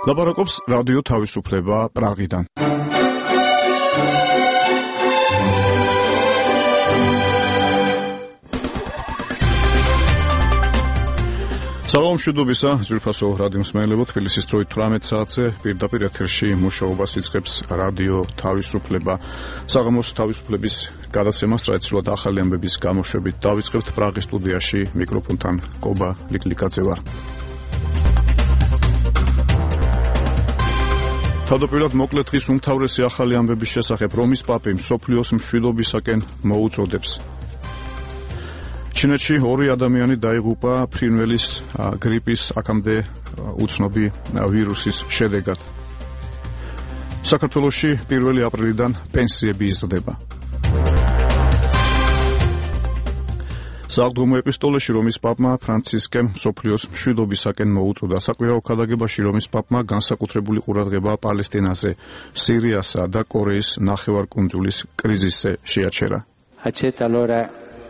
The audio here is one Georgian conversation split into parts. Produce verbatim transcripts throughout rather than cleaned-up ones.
ლაპარაკობს რადიო თავისუფლება პრაღიდან. სალამ მშვიდობისა, ძვირფასო რადიო მსმენელებო, თბილისის დროით თვრამეტ საათზე პირდაპირ ეთერში მუშაობას იწყებს რადიო თავისუფლება. საღამოს თავისუფლების გადაცემას ტრადიციულად ახალი ამბების გამოშვებით დავიწყებთ პრაღის სტუდიაში მიკროფონთან კობა ლიკლიკაძე ვარ. თავდაპირველად მოკლე დღის უმთავრესი ახალი ამბების შესახებ რომის პაპი მსოფლიოს მშვიდობისაკენ მოუწოდებს. ჩინეთში ორი ადამიანი დაიღუპა ფრინველის გრიპის აქამდე უცნობი ვირუსის შედეგად. საქართველოში პირველი აპრილიდან პენსიები იზრდება. საავადმყოფო ეპისტოლეში რომის პაპმა ფრანცისკემ მსოფლიოს მშვიდობისაკენ მოუწოდა. საკვირაო ქადაგებაში რომის პაპმა განსაკუთრებული ყურადღება პალესტინაზე, სირიასა და კორეის ნახევარკუნძულის კრიზისზე შეაჩერა.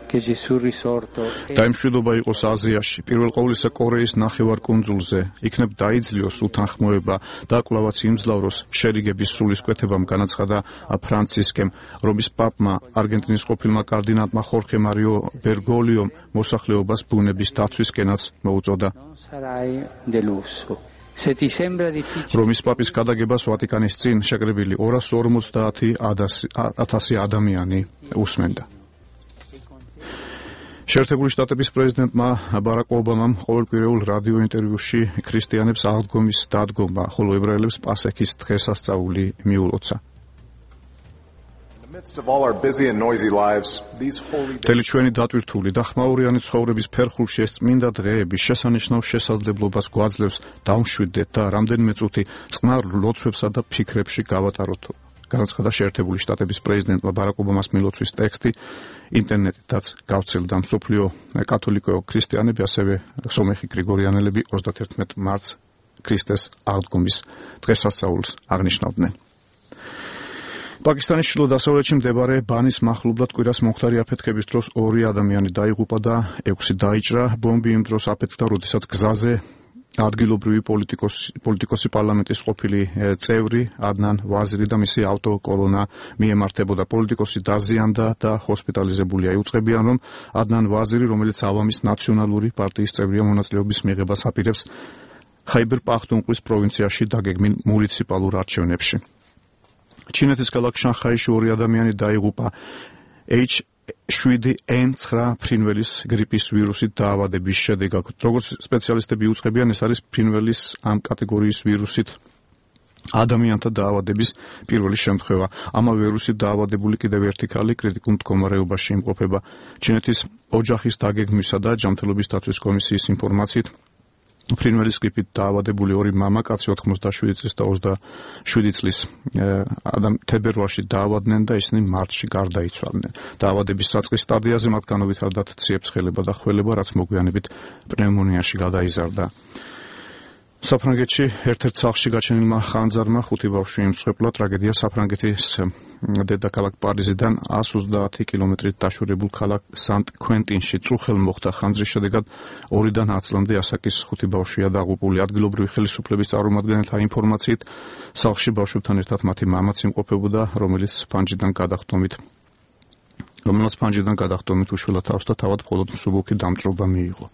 დაიმშვიდობა იყოს აზიაში, პირველ ყოვლისა კორეის ნახევარკუნძულზე, იქნებ დაიძლიოს უთანხმოება და კვლავაც იმძლავროს შერიგების სულისკვეთებამ, განაცხადა ფრანცისკემ. რომის პაპმა არგენტინის ყოფილმა კარდინალმა ხორხე მარიო ბერგოლიომ მოსახლეობას ბუნების დაცვისკენაც მოუწოდა. რომის პაპის გადაგებას ვატიკანის წინ შეკრებილი ორას ორმოცდაათი ათასი ადამიანი უსმენდა. შეერთებული შტატების პრეზიდენტმა ბარაკ ობამამ ყოველკვირეულ რადიო ინტერვიუში ქრისტიანებს აღდგომის დადგომა, ხოლო ებრაელებს პასექის დღესასწაული მიულოცა. მთელი ჩვენი დატვირთული და ხმაურიანი ცხოვრების ფერხულში ეს წმინდა დღეები შესანიშნავ შესაძლებლობას გვაძლევს დავმშვიდდეთ და რამდენიმე წუთი წყნარ ლოცვებსა და ფიქრებში გავატაროთ. განაცხადა შეერთებული შტატების პრეზიდენტმა ბარაკ ობამას მილოცვის ტექსტი ინტერნეტითაც გავრცელდა. მსოფლიო კათოლიკო ქრისტიანები, ასევე სომეხი გრიგორიანელები ოცდაათი მარტს ქრისტეს აღდგომის დღესასწაულს აღნიშნავდნენ. პაკისტანის ჩრდილო-დასავლეთში მდებარე ბანის მახლობლად კვირას მომხდარი აფეთქების დროს ორი ადამიანი დაიღუპა და ექვსი დაიჭრა. ბომბი იმ დროს აფეთქდა, როდესაც გზაზე ადგილობრივი პოლიტიკოსი, პოლიტიკოსი პარლამენტის ყოფილი წევრი ადნან ვაზირი და მისი ავტოკოლონა მიემართებოდა. პოლიტიკოსი დაზიანდა და ჰოსპიტალიზებულია. იუწყებიან, რომ ადნან ვაზირი, რომელიც ავამის ნაციონალური პარტიის წევრია, მონაწილეობის მიღებას აპირებს ხაიბერ პახტუნხვის პროვინციაში დაგეგმილ მუნიციპალურ არჩევნებში. ჩინეთის ქალაქ შანხაიში ორი ადამიანი დაიღუპა ეიჩ შვიდი ენ ცხრა ფრინველის გრიპის ვირუსით დაავადების შედეგად. როგორც სპეციალისტები უწყებიან, ეს არის ფრინველის ამ კატეგორიის ვირუსით ადამიანთა დაავადების პირველი შემთხვევა. ამავე ვირუსით დაავადებული კიდევ ერთი ქალი კრიტიკულ მდგომარეობაში იმყოფება. ჩინეთის ოჯახის დაგეგმვისა და ჯანმრთელობის დაცვის კომისიის ინფორმაციით, ფრინველის გრიპით დაავადებული ორი მამა, კაცი ოთხმოცდაშვიდი წლის და ოცდაშვიდი წლის თებერვალში დაავადდნენ და ისინი მარტში გარდაიცვალნენ. დაავადების საწყის სტადიაზე მათ განუვითარდათ ციებ-ცხელება და ხველება, რაც მოგვიანებით პნევმონიაში გადაიზარდა. საფრანგეთში ერთ-ერთ სახლში გაჩენილმა ხანძარმა ხუთი ბავშვი იმსხვერპლა. ტრაგედია საფრანგეთის დედაქალაქ პარიზიდან ას ოცდაათი კილომეტრით დაშორებულ ქალაქ სანტ-კვენტინში წუხელ მოხდა. ხანძრის შედეგად ორიდან ათ წლამდე ასაკის ხუთი ბავშვია დაღუპული. ადგილობრივი ხელისუფლების წარმომადგენელთა ინფორმაციით, სახლში ბავშვებთან ერთად მათი მამაც იმყოფებოდა, რომელიც ფანჯრიდან გადახდომით რომელიც ფანჯრიდან გადახდომით უშველა თავს და თავად მხოლოდ მსუბუქი დამჭრობა მიიღო.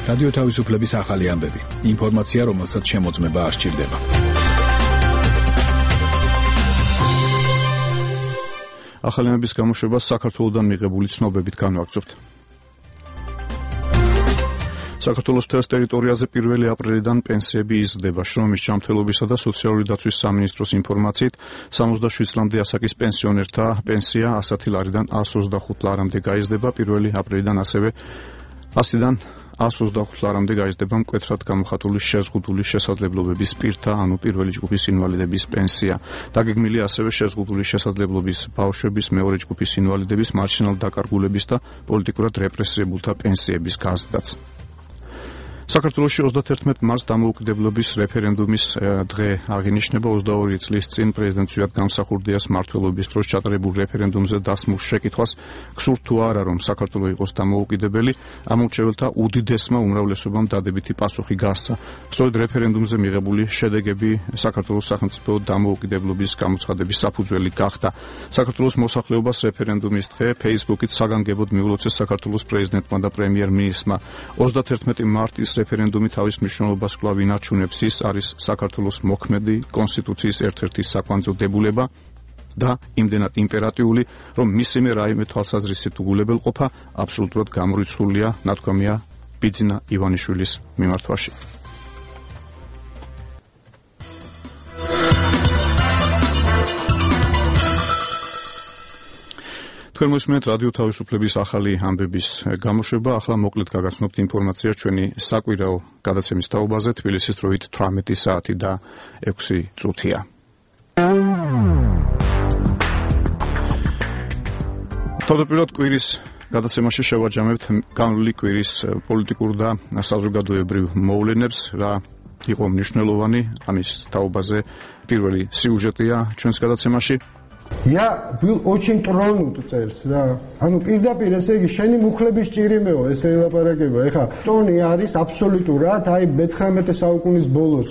რადიო თავისუფლების ახალი ამბები. ინფორმაცია, რომელსაც შემოწმება არ სჭირდება. ახალი ამბების გამოშვებას საქართველოსდან მიღებული ცნობებით განვაგრძობთ. საქართველოს მთელს ტერიტორიაზე პირველი აპრილიდან პენსიები იზრდება. შრომის ჯანმრთელობისა და სოციალური დაცვის სამინისტროს ინფორმაციით, სამოცდაშვიდ წლამდე ასაკის პენსიონერთა პენსია ასი ლარიდან ას ოცდახუთ ლარამდე გაიზრდება. პირველი აპრილიდან ასევე ასიდან ას ოცდახუთ ლარამდე გაიზრდება მკვეთრად გამოხატული შეზღუდული შესაძლებლობების პირთა, ანუ პირველი ჯგუფის ინვალიდების პენსია. დაგეგმილია ასევე შეზღუდული შესაძლებლობის ბავშვების, მეორე ჯგუფის ინვალიდების, მარჯნეულ დაკარგულებების და პოლიტიკურად რეპრესირებულთა პენსიების გაზრდაც. საქართველოში ოცდათერთმეტ მარტს დამოუკიდებლობის რეფერენდუმის დღე აღინიშნება. ოცდაორი წლის წინ პრეზიდენტ ზვიად გამსახურდიას მმართველობის დროს ჩატარებულ რეფერენდუმზე დასმულ შეკითხვას გსურთ თუ არა, რომ საქართველო იყოს დამოუკიდებელი, ამორჩეველთა უდიდესმა უმრავლესობამ დადებითი პასუხი გასცა. სწორედ რეფერენდუმზე მიღებული შედეგები საქართველოს სახელმწიფო დამოუკიდებლობის გამოცხადების საფუძველი გახდა. საქართველოს მოსახლეობას რეფერენდუმის დღე Facebook-ით საგანგებოდ მიულოცეს საქართველოს პრეზიდენტმა და პრემიერ-მინისტრმა. ოცდათერთმეტი მარტის რეფერენდუმი თავის მნიშვნელობას კვლავ ინარჩუნებს. ის არის საქართველოს მოქმედი კონსტიტუციის ერთ-ერთი საკვანძო დებულება და იმდენად იმპერატიული, რომ მისიმე რაიმე თვალსაზრისით უგულებელყოფა აბსოლუტურად გამორიცხულია, ნათქვამია ბიძინა ივანიშვილის მიმართვაში. თქვენ მოსმენთ რადიო თავისუფლების ახალი ამბების გამოშვება. ახლა მოკლედ გაგაცნობთ ინფორმაციას ჩვენი საკვირაო გადაცემის თაობაზე. თბილისის დროით თვრამეტი საათი და ექვსი წუთია. თავდაპირველად კვირის გადაცემაში შევაჯამებთ განვლილი კვირის პოლიტიკურ და საზოგადოებრივ მოვლენებს, რა იყო მნიშვნელოვანი ამის თაობაზე პირველი სიუჟეტია ჩვენს გადაცემაში. Я был очень тронут წელს რა. ანუ პირდაპირ ესე იგი შენი მუხლების ჭირიმეო ესე ელაპარაკება. ეხა ტონი არის აბსოლუტურად აი მეცხრამეტე საუკუნის ბოლოს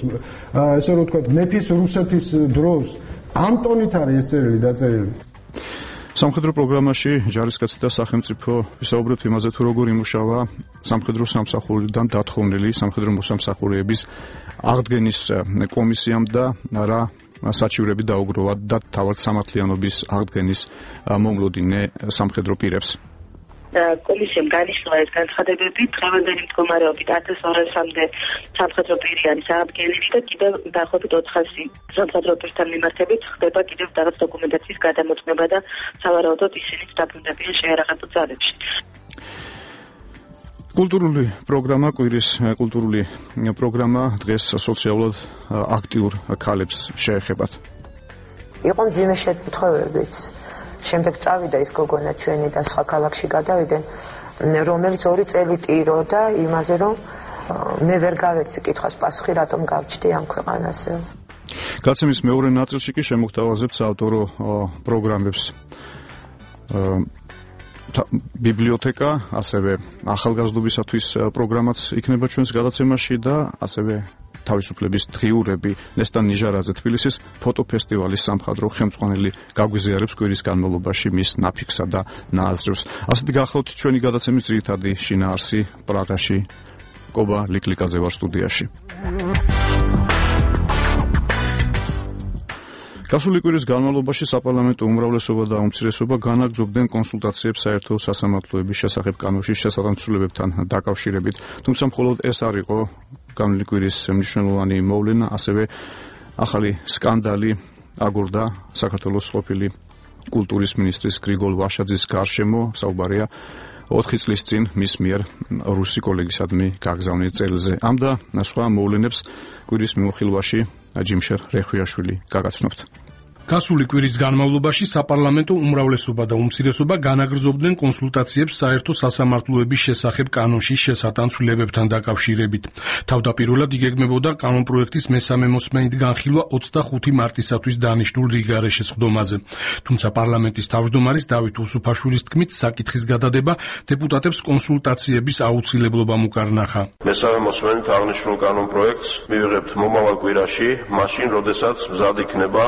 ესე რომ ვთქვათ მეფის რუსეთის დროს ამ ტონით არის ესერილი დაწერილი. სამხედრო პროგრამაში ჯარისკაცი და სახელმწიფო ვისაუბრებთ იმაზე თუ როგორ იმუშავა სამხედრო სამსახურიდან დათხოვნილი სამხედრო მოსამსახურეების აღდგენის კომისიამ და რა საჩივრები დაუგროვა და თავად სამართლიანობის აღდგენის მომლოდინე სამხედრო პირებს. კომისიამ განიშნულა ეს განცხადებები დღევანდელი მდგომარეობით ათას ორასამდე სამხედრო პირი არის აღდგენილი და კიდევ დაახლოებით ოთხასი სამხედრო პირთან მიმართებით ხდება კიდევ რაღაც დოკუმენტაციის გადამოწმება და სავარაუდოდ ისინიც დაბრუნდებიან შეიარაღებულ ძალებში. კულტურული პროგრამა, კვირის კულტურული პროგრამა დღეს სოციალურად აქტიურ ქალებს შეეხებათ. იყო მძიმე შეკითხვებიც. შემდეგ წავიდა ის გოგონა ჩვენი და სხვა ქალაქში გადავიდნენ, რომელიც ორი წელი ტიროდა იმაზე, რომ მე ვერ გავეცი კითხვის პასუხი, რატომ გავჩდი ამ ქვეყანაზე. გადაცემის მეორე ნაწილში კი შემოგთავაზებთ საავტორო პროგრამებს. ბიბლიოთეკა, ასევე ახალგაზრდობისათვის პროგრამაც იქნება ჩვენს გადაცემაში და ასევე თავისუფლების დღიურები ნესტან ნიჟარაძე თბილისის ფოტოფესტივალის სამხატვრო ხელმძღვანელი გაგვიზიარებს კვირის განმავლობაში მის ნაფიქსა და ნააზრევს. ასეთი გახლავთ ჩვენი გადაცემის ძირითადი შინაარსი პრაღაში. კობა ლიკლიკაძე ვარ სტუდიაში. გასული კვირის განმავლობაში საპარლამენტო უმრავლესობა და უმცირესობა განაგრძობდნენ კონსულტაციებს საერთო სასამართლოების შესახებ კანონში შესატანცრულებებთან დაკავშირებით. თუმცა მხოლოდ ეს არ იყო განვლილი კვირის მნიშვნელოვანი მოვლენა, ასევე ახალი სკანდალი აგორდა საქართველოს ყოფილი კულტურის მინისტრის გრიგოლ ვაშაძის გარშემო. საუბარია ოთხი წლის წინ მის მიერ რუსი კოლეგისადმი გაგზავნილ წერილზე. ამ და სხვა მოვლენებს კვირის მიმოხილვაში ჯიმშერ რეხვიაშვილი გაგაცნობთ. გასული კვირის განმავლობაში საპარლამენტო უმრავლესობა და უმცირესობა განაგრძობდნენ კონსულტაციებს საერთო სასამართლოების შესახებ კანონში შესატანცვლებებთან დაკავშირებით. თავდაპირველად იგეგმებოდა კანონპროექტის მესამე მოსმენით განხილვა ოცდახუთი მარტისათვის დანიშნულ რიგარეშე სხდომაზე. თუმცა პარლამენტის თავმჯდომარის დავით უსუფაშვილის თქმით, საკითხის გადადება დეპუტატებს კონსულტაციების აუცილებლობამ უკარნახა. მესამე მოსმენით აღნიშნულ კანონპროექტს მივიღებთ მომავალ კვირაში, მაშინ, როდესაც მზად იქნება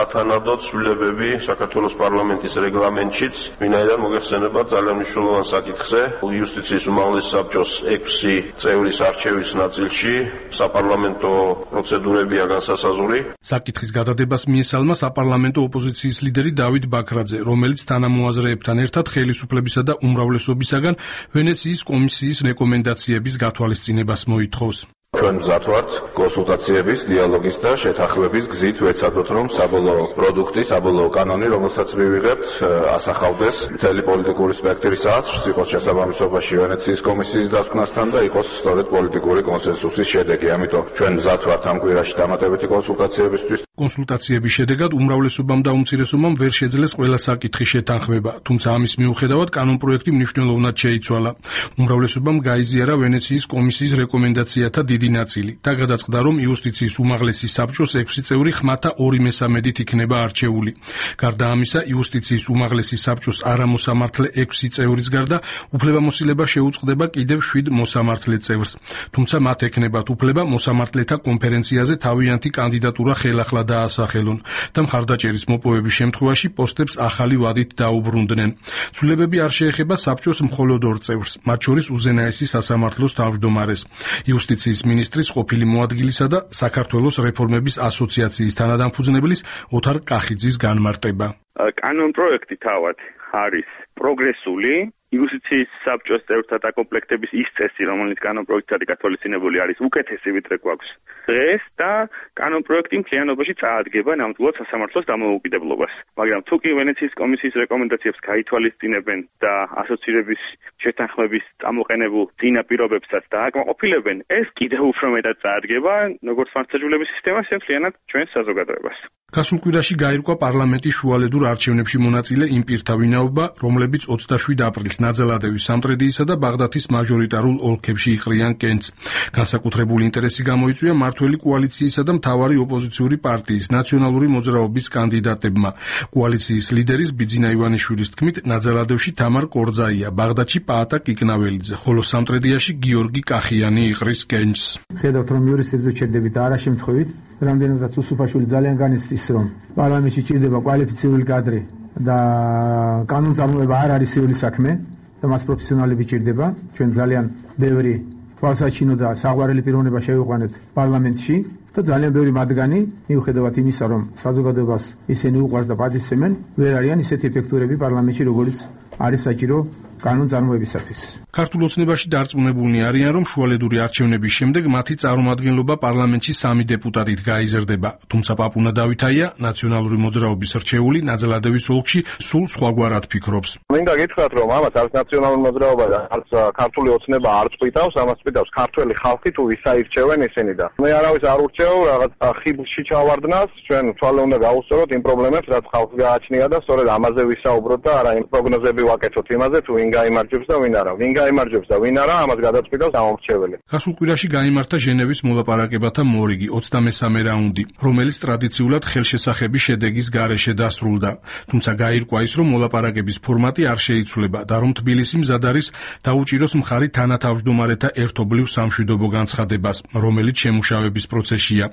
სათანადო ცვლილებები საქართველოს პარლამენტის რეგლამენტშიც, ვინაიდან მოგეხსენება ძალიან მნიშვნელოვან საკითხზე, იუსტიციის უმაღლეს საბჭოს ექვსი წევრის არჩევის ნაწილში საპარლამენტო პროცედურებია განსასაზღვრი. საკითხის გადადებას მიესალმა საპარლამენტო ოპოზიციის ლიდერი დავით ბაქრაძე, რომელიც თანამოაზრეებთან ერთად ხელისუფლებისა და უმრავლესობისაგან ვენეციის კომისიის რეკომენდაციების გათვალისწინებას მოითხოვს. ჩვენ მზად ვართ კონსულტაციების, დიალოგის და შეთანხმების გზით ვეცადოთ, რომ საბოლოო პროდუქტი, საბოლოო კანონი, რომელსაც მივიღებთ, ასახავდეს მთელი პოლიტიკური სპექტრის აზრს, იყოს შესაბამისობაში ვენეციის კომისიის დასკვნასთან და იყოს სწორედ პოლიტიკური კონსენსუსის შედეგი. ამიტომ ჩვენ მზად ვართ ამ კვირაში დამატებითი კონსულტაციებისთვის. კონსულტაციების შედეგად უმრავლესობამ და უმცირესობამ ვერ შეძლეს ყველა საკითხი შეთანხმება, თუმცა ამის მიუხედავად კანონპროექტი მნიშვნელოვნად შეიცვალა. უმრავლესობამ გაიზიარა ვენეციის კომისიის რეკომენდაციათა დიდი ნაწილი და გადაწყდა, რომ იუსტიციის უმაღლესი საბჭოს ექვსი წევრი ხმათა ორი მესამედით იქნება არჩეული. გარდა ამისა, იუსტიციის უმაღლესი საბჭოს არამოსამართლე ექვსი წევრის გარდა უფლებამოსილება შეუწყდება კიდევ შვიდ მოსამართლე წევრს. თუმცა მათ ექნებათ უფლება მოსამართლეთა კონფერენციაზე თავიანთი კანდიდატურა ხელახლა დაასახელონ და მხარდაჭერის მოპოვების შემთხვევაში პოსტებს ახალი ვადით დაუბრუნდნენ. ცვლილებები არ შეეხება საბჭოს მხოლოდ ორ წევრს, მათ შორის უზენაესი სასამართლოს თავმჯდომარეს, იუსტიციის მინისტრის ყოფილი მოადგილისა და საქართველოს რეფორმების ასოციაციის თანადამფუძნებლის ოთარ კახიძის განმარტება. კანონპროექტი თავად არის პროგრესული, იუსტიციის საბჭოს წევრთა დაკომპლექტების ის წესი, რომელიც კანონპროექტად გათვალისწინებული არის, უკეთესი ვიდრე გვაქვს დღეს და კანონპროექტი მთლიანობაში წაადგება ნამდვილად სასამართლოს დამოუკიდებლობას. მაგრამ თუ კი ვენეციის კომისიის რეკომენდაციებს გაითვალისწინებენ და ასოცირების შეთანხმების წამოყენებულ წინა პირობებსაც დააკმაყოფილებენ, ეს კიდევ უფრო მეტად წაადგება როგორც მართლმსაჯულების სისტემას, მთლიანად ჩვენს საზოგადოებას. გასულ კვირაში გაირკვა პარლამენტის შუალედურ არჩევნებში მონაწილე იმ პირთა ვინაობა, რომლებიც ოცდაშვიდ აპრილს ნაძალადევის, სამტრედიისა და ბაღდათის მაჟორიტარულ ოლქებში იყრიან კენჭს. განსაკუთრებული ინტერესი გამოიწვია მმართველი კოალიციისა და მთავარი ოპოზიციური პარტიის ნაციონალური მოძრაობის კანდიდატებმა. კოალიციის ლიდერის ბიძინა ივანიშვილის თქმით, ნაძალადევში თამარ კორძაია, ბაღდათში პაატა კიკნაველიძე, ხოლო სამტრედიაში გიორგი კახიანი იყრის კენჭს. ხედავთ, რომ იურისტებზე ჩერდებით და არა შემთხვევით, რამდენადაც უსუფაშვილი ძალიან განიცდის, რომ პარლამენტში ჭირდება კვალიფიცირებული კადრი და კანონწარმოება არ არის სრული საქმე და მას პროფესიონალები ჭირდება. ჩვენ ძალიან ბევრი თვალსაჩინო და საყვარელი პიროვნება შევიყვანეთ პარლამენტში და ძალიან ბევრი მათგანი, მიუხედავად იმისა, რომ საზოგადოებას ისინი უყვარს და პატივსცემენ, ვერ არიან ისეთი ეფექტურები პარლამენტში, როგორც არის საჭირო კანონწარმოებისათვის. ქართულ ოცნებაში დარწმუნებულნი არიან, რომ შუალედური არჩევნების შემდეგ მათი წარმომადგენლობა პარლამენტში სამი დეპუტატით გაიზრდება. თუმცა პაპუნა დავითაია, ნაციონალური მოძრაობის რჩეული, ნაძალადევის ოლქში სულ სხვაგვარად ფიქრობს. მინდა გითხრათ, რომ ამას არც ნაციონალური მოძრაობა და არც ქართული ოცნება არ წვიტავს, ამას წვიტავს ქართველი ხალხი, თუ ვის აირჩევენ ისინი და მე არავის არ ურჩევ რაღაც ხიბლში ჩავარდნას, ჩვენ თვალე უნდა გავუსწოროთ იმ პრობლემებს, რაც ხალხს გააჩნია და სწორედ ამაზე ვისაუბროთ და არა იმ პროგნოზები ვაკეთოთ იმაზე, თუ ვინ გაიმარჯვებს და ვინ არა. ვინ გაიმარჯვებს და ვინ არა, ამას გადაწყვიტავს ამომრჩეველი. გასულ კვირაში გაიმართა ჟენევის მოლაპარაკებათა მორიგი, ოცდამესამე რაუნდი, რომელიც ტრადიციულად ხელშესახების შედეგის გარეშე დასრულდა. თუმცა გაირკვა ის, რომ მოლაპარაკების ფორმატი არ შეიცვლება და რომ თბილისი მზად არის დაუჭიროს მხარი თანათავმჯდომარეთა ერთობლივ სამშვიდობო განცხადებას, რომელიც შემუშავების პროცესია.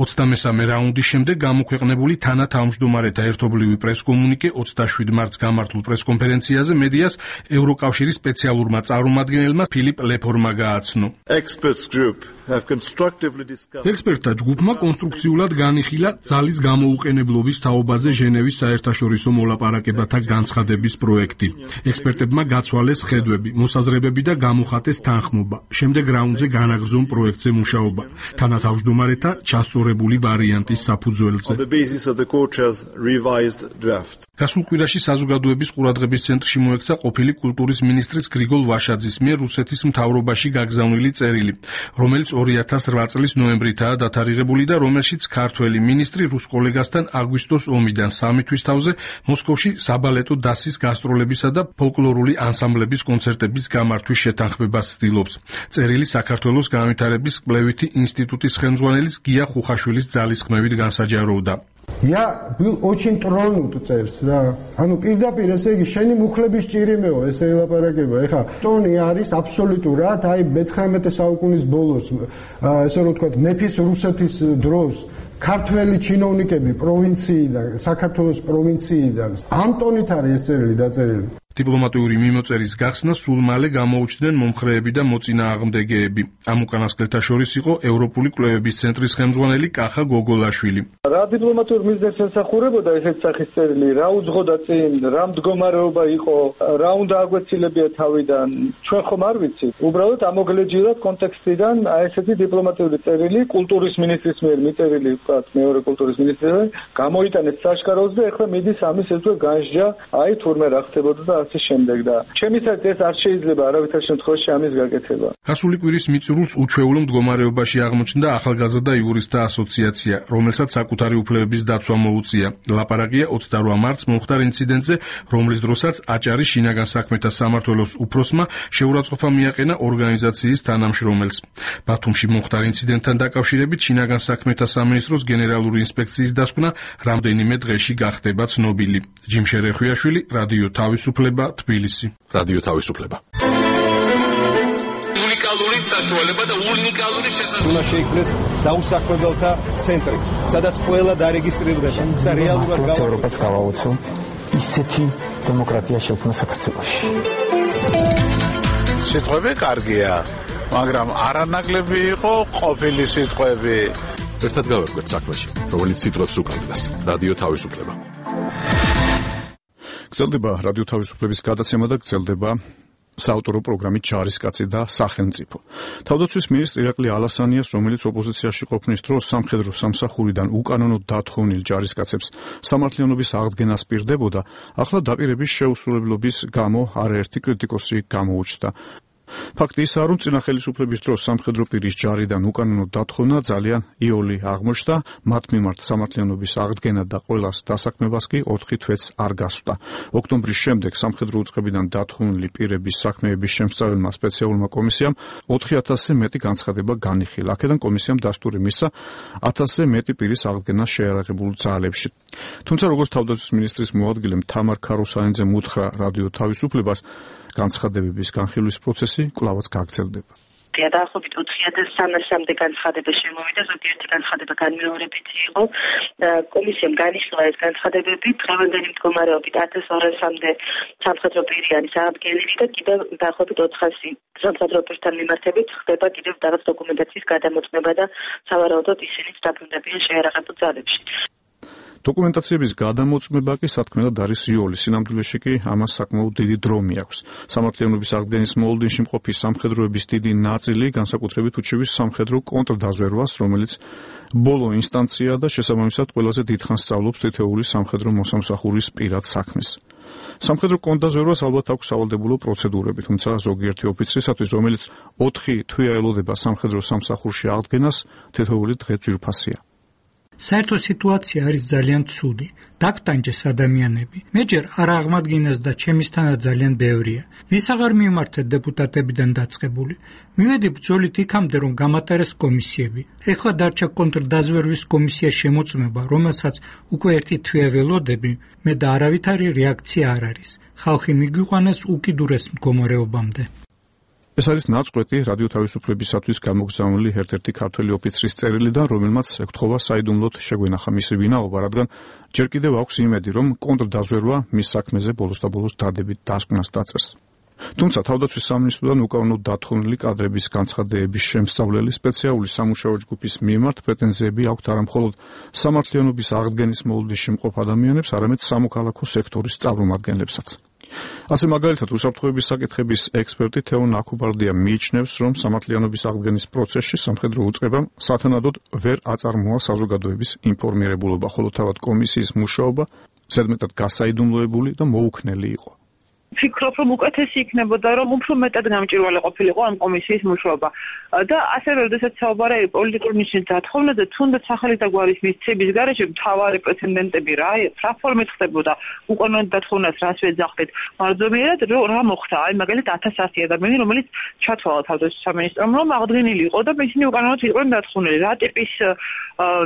ოცდამესამე რაუნდის შემდეგ გამოქვეყნებული თანათავმჯდომარეთა ერთობლივი პრესკომუნიკე ოცდაშვიდ მარტს გამართულ პრესკონფერენციაზე მედიას ევროკავშირის სპეციალურმა წარმომადგენელმა ფილიპ ლეფორმა გააცნო. ექსპერტთა ჯგუფმა კონსტრუქციულად განიხილა ძალის გამოუყენებლობის თაობაზე ჟენევის საერთაშორისო მოლაპარაკებათა განცხადების პროექტი. ექსპერტებმა გაცვალეს ხედვები, მოსაზრებები და გამოხატეს თანხმობა. შემდეგ რაუნდზე განაგრძონ პროექტზე მუშაობა, თანათავმჯდომარეთა ჩასწორებული ვარიანტის საფუძველზე. გასულ კვირაში საზოგადოების ყურადღების ცენტრში მოექცა ყოფილი კულტურის მინისტრის გრიგოლ ვაშაძის მიერ რუსეთის მთავრობაში გაგზავნილი წერილი, რომელიც ორი ათას რვა წლის ნოემბრითაა დათარიღებული და რომელშიც ქართველი მინისტრი რუს კოლეგასთან აგვისტოს ომიდან სამი თვის თავზე მოსკოვში საბალეტო დასის გასტროლებისა და ფოლკლორული ანსამბლების კონცერტების გამართვის შეთანხმებას ცდილობს. წერილი საქართველოს განვითარების კვლევითი ინსტიტუტის ხელმძღვანელის გია ხუხაშვილის ძალისხმევით განსაჯაროვდა. Я был очень тронут წერს რა. ანუ პირდაპირ ესე იგი შენი მუხლების ჭირიმეო ესე ელაპარაკება. ეხა ტონი არის აბსოლუტურად აი მეცხრამეტე საუკუნის ბოლოს ესე რომ ვთქვათ მეფის რუსეთის დროს ქართველი ჩინოვნიკები პროვინციიდან, საქართველოს პროვინციიდან ამ ტონით არის ეს წერილი დაწერილი. დიპლომატიური მიმოწერის გახსნა სულ მალე გამოუჩნდნენ მომხრეები და მოწინააღმდეგეები. ამ უკანასკნელთა შორის იყო ევროპული კვლევების ცენტრის ხელმძღვანელი კახა გოგოლაშვილი. რა დიპლომატიურ მიზნებს ემსახურებოდა ესეთ სახის წერილი, რა უძღოდა წინ, რა მდგომარეობა იყო, რა უნდა აგვეცილებია თავიდან, ჩვენ ხომ არ ვიცით. უბრალოდ ამოგლეჯილად კონტექსტიდან აი ესეთი დიპლომატიური წერილი კულტურის მინისტრის მიერ მიწერილი, ვთქვათ, მეორე კულტურის ministrului გამოიტანეთ საშკაროზე და ეხლა მიდის ამის ესე განსჯა, აი თურმე რა ხდებოდა და ასე შემდეგ და ჩემისაც ეს არ შეიძლება არავითარ შემთხვევაში ამის გაკეთება. გასული კვირის მიწურულს უჩვეულო მდგომარეობაში აღმოჩნდა ახალგაზრდა იურისტთა ასოციაცია, რომელსაც საკუთარი უფლებების დაცვა მოუწია. ლაპარაკია ოცდაოთხ მარტს მომხდარ ინციდენტზე, რომლის დროსაც აჭარის შინაგან საქმეთა სამმართველოს უფროსმა შეურაცხყოფა მიაყენა ორგანიზაციის თანამშრომელს. ბათუმში მომხდარ ინციდენტთან დაკავშირებით შინაგან საქმეთა სამინისტროს გენერალური ინსპექციის დასკვნა რამდენიმე დღეში გახდება ცნობილი. ჯიმშე რეხვიაშვილი, რადიო თავისუფლება, თბილისი. რადიო თავისუფლება. უნიკალური საშუალება და უნიკალური შესაძლებლობა. უნდა შეიქმნეს დაუსაქმებელთა ცენტრი, სადაც ყველა დარეგისტრირდება და რეალურად ევროპას გავაუწო ისეთი დემოკრატია შექმნა საქართველოში. სიტყვები კარგია, მაგრამ არანაკლები იყო ყოფილი სიტყვები. ერთად გავერკვეთ საქმეში, რომელიც სიტყვებს უკავშირდება. რადიო თავისუფლება. გრძელდება რადიო თავისუფლების გადაცემა და გრძელდება საავტორო პროგრამით ჯარისკაცი და სახელმწიფო. თავდაცვის მინისტრ ირაკლი ალასანიას, რომელიც ოპოზიციაში ყოფნის დროს სამხედრო სამსახურიდან უკანონოდ დათხოვნილ ჯარისკაცებს სამართლიანობის აღდგენას პირდებოდა, ახლა დაპირების შეუსრულებლობის გამო არაერთი კრიტიკოსი გამოუჩნდა. ფაქტი ისაა, რომ წინა ხელისუფლების დროს სამხედრო პირის ჯარიდან უკანონოდ დათხოვნა ძალიან იოლი აღმოჩნდა, მათ მიმართ სამართლიანობის აღდგენა და ყველას დასაქმებას კი ოთხი თვეც არ გასვდა. ოქტომბრის შემდეგ სამხედრო უწყებიდან დათხოვნილი პირების საქმეების შემსწავლელმა სპეციალურმა კომისიამ ოთხი ათასზე მეტი განცხადება განიხილა. აქედან კომისიამ დასტური მისცა ათასზე მეტი პირის აღდგენას შეიარაღებულ ძალებში. თუმცა როგორც თავდაცვის მინისტრის მოადგილემ თამარ ქაროსანიძემ უთხრა რადიო თავისუფლებას, განცხადებების განხილვის პროცესი კვლავაც გაგრძელდება. დაახლოებით ოთხი ათას სამასამდე განცხადება შემოვიდა, ზოგიერთი განცხადება განმეორებითი იყო. კომისიამ განიხილა ეს განცხადებები, დღევანდელი მდგომარეობით ათას ორასამდე სამხედრო პირი არის აღდგენილი და კიდევ დაახლოებით ოთხასი სამხედრო პირთან მიმართებით ხდება კიდევ რაღაც დოკუმენტაციის გადამოწმება და სავარაუდოდ ისინიც დაბრუნდებიან შეიარაღებულ ძალებში. დოკუმენტაციების გადამოწმება კი სათქმელად არის იოლი, სინამდვილეში კი ამას საკმაოდ დიდი დრო მიაქვს. სამართლიანობის აღდგენის მოლოდინში მყოფი სამხედროების დიდი ნაწილი განსაკუთრებით უჩივის სამხედრო კონტრდაზვერვას, რომელიც ბოლო ინსტანცია და შესაბამისად ყველაზე დიდხანს სწავლობს თითოეული სამხედრო მოსამსახურის პირად საქმეს. სამხედრო კონტრდაზვერვას ალბათ აქვს სავალდებულო პროცედურები, თუმცა ზოგიერთი ოფიცრისათვის, რომელიც ოთხი თვეა ელოდება სამხედრო სამსახურში აღდგენას, თითოეული დღე ძვირფასია. საერთო სიტუაცია არის ძალიან ცუდი. დაგტანჯეს ადამიანები. მეჯერ არ აღმადგინეს და ჩემისთანა ძალიან ბევრია. ვის აღარ მიმართეთ დეპუტატებიდან დაწყებული. მივედი ბრძოლით იქამდე, რომ გამატარეს კომისიები. ეხლა დარჩა კონტრდაზვერვის კომისია შემოწმება, რომელსაც უკვე ერთი თვე ველოდები, მე და არავითარი რეაქცია არ არის. ხალხი მიგვიყვანეს უკიდურეს მდგომარეობამდე. ეს არის ნაწყვეტი რადიო თავისუფლებისათვის გამოგზავნილი ერთ-ერთი ქართველი ოფიცრის წერილიდან, რომელმაც ეკთხოვა საიდუმლოდ შეგვენახა მისი ვინაობა, რადგან ჯერ კიდევ აქვს იმედი, რომ კონტრდაზვერვა მის საქმეზე ბოლოს და ბოლოს დადებით დასკვნას დაწერს. თუმცა თავდაცვის სამინისტროდან უკანონოდ დათხოვნილი კადრების განცხადებების შემსწავლელი სპეციალური სამუშაო ჯგუფის მიმართ პრეტენზიები აქვთ არა მხოლოდ სამართლიანობის აღდგენის მოლოდინში მყოფ ადამიანებს, არამედ სამოქალაქო სექტორის წარმომადგენლებსაც. ასე მაგალითად უსაფრთხოების საკითხების ექსპერტი თეო ნაკუბარდია მიიჩნევს, რომ სამართლიანობის აღდგენის პროცესში სამხედრო უწყებამ სათანადოდ ვერ აწარმოა საზოგადოების ინფორმირებულობა, ხოლო თავად კომისიის მუშაობა ზედმეტად გასაიდუმლოებული და მოუქნელი იყო. ვფიქრობ, რომ უკეთესი იქნებოდა, რომ უფრო მეტად გამჭვირვალე ყოფილიყო ამ კომისიის მუშაობა. და ასევე, როდესაც საუბარია პოლიტიკური ნიშნის დათხოვნაზე, თუნდაც სახელი და გვარის მისცემის გარეშე მთავარი პრეცედენტები რა, რა ფორმით ხდებოდა უკანონოდ დათოვნას, რას ვეძახდით. მარჯვენად რა მოხდა? აი, მაგალითად ათას ასი ადამიანი, რომელიც ჩათვალა თავდაცვის სამინისტრომ, რომ აღდგენილი იყო და ისინი უკანონოდ იყვნენ დათოვნილი. რა ტიპის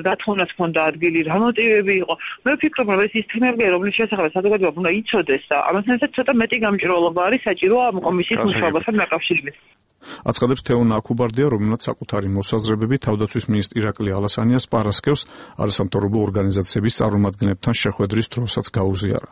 დათოვნას ჰქონდა ადგილი, რა მოტივები იყო? მე ვფიქრობ, რომ ეს ის თემებია, რომლის შესახებ საზოგადოება უნდა იცოდეს და ამასთან ცოტა მეტი გამჭვირვალობა არის საჭირო ამ კომისიის მუშაობასთან დაკავშირებით. აცხადებს თეო ნაკუბარდია, რომელმაც საკუთარი მოსაზრებები თავდაცვის მინისტრ ირაკლი ალასანიას პარასკევს არასამთავრობო ორგანიზაციების წარმომადგენლებთან შეხვედრის დროსაც გაუზიარა.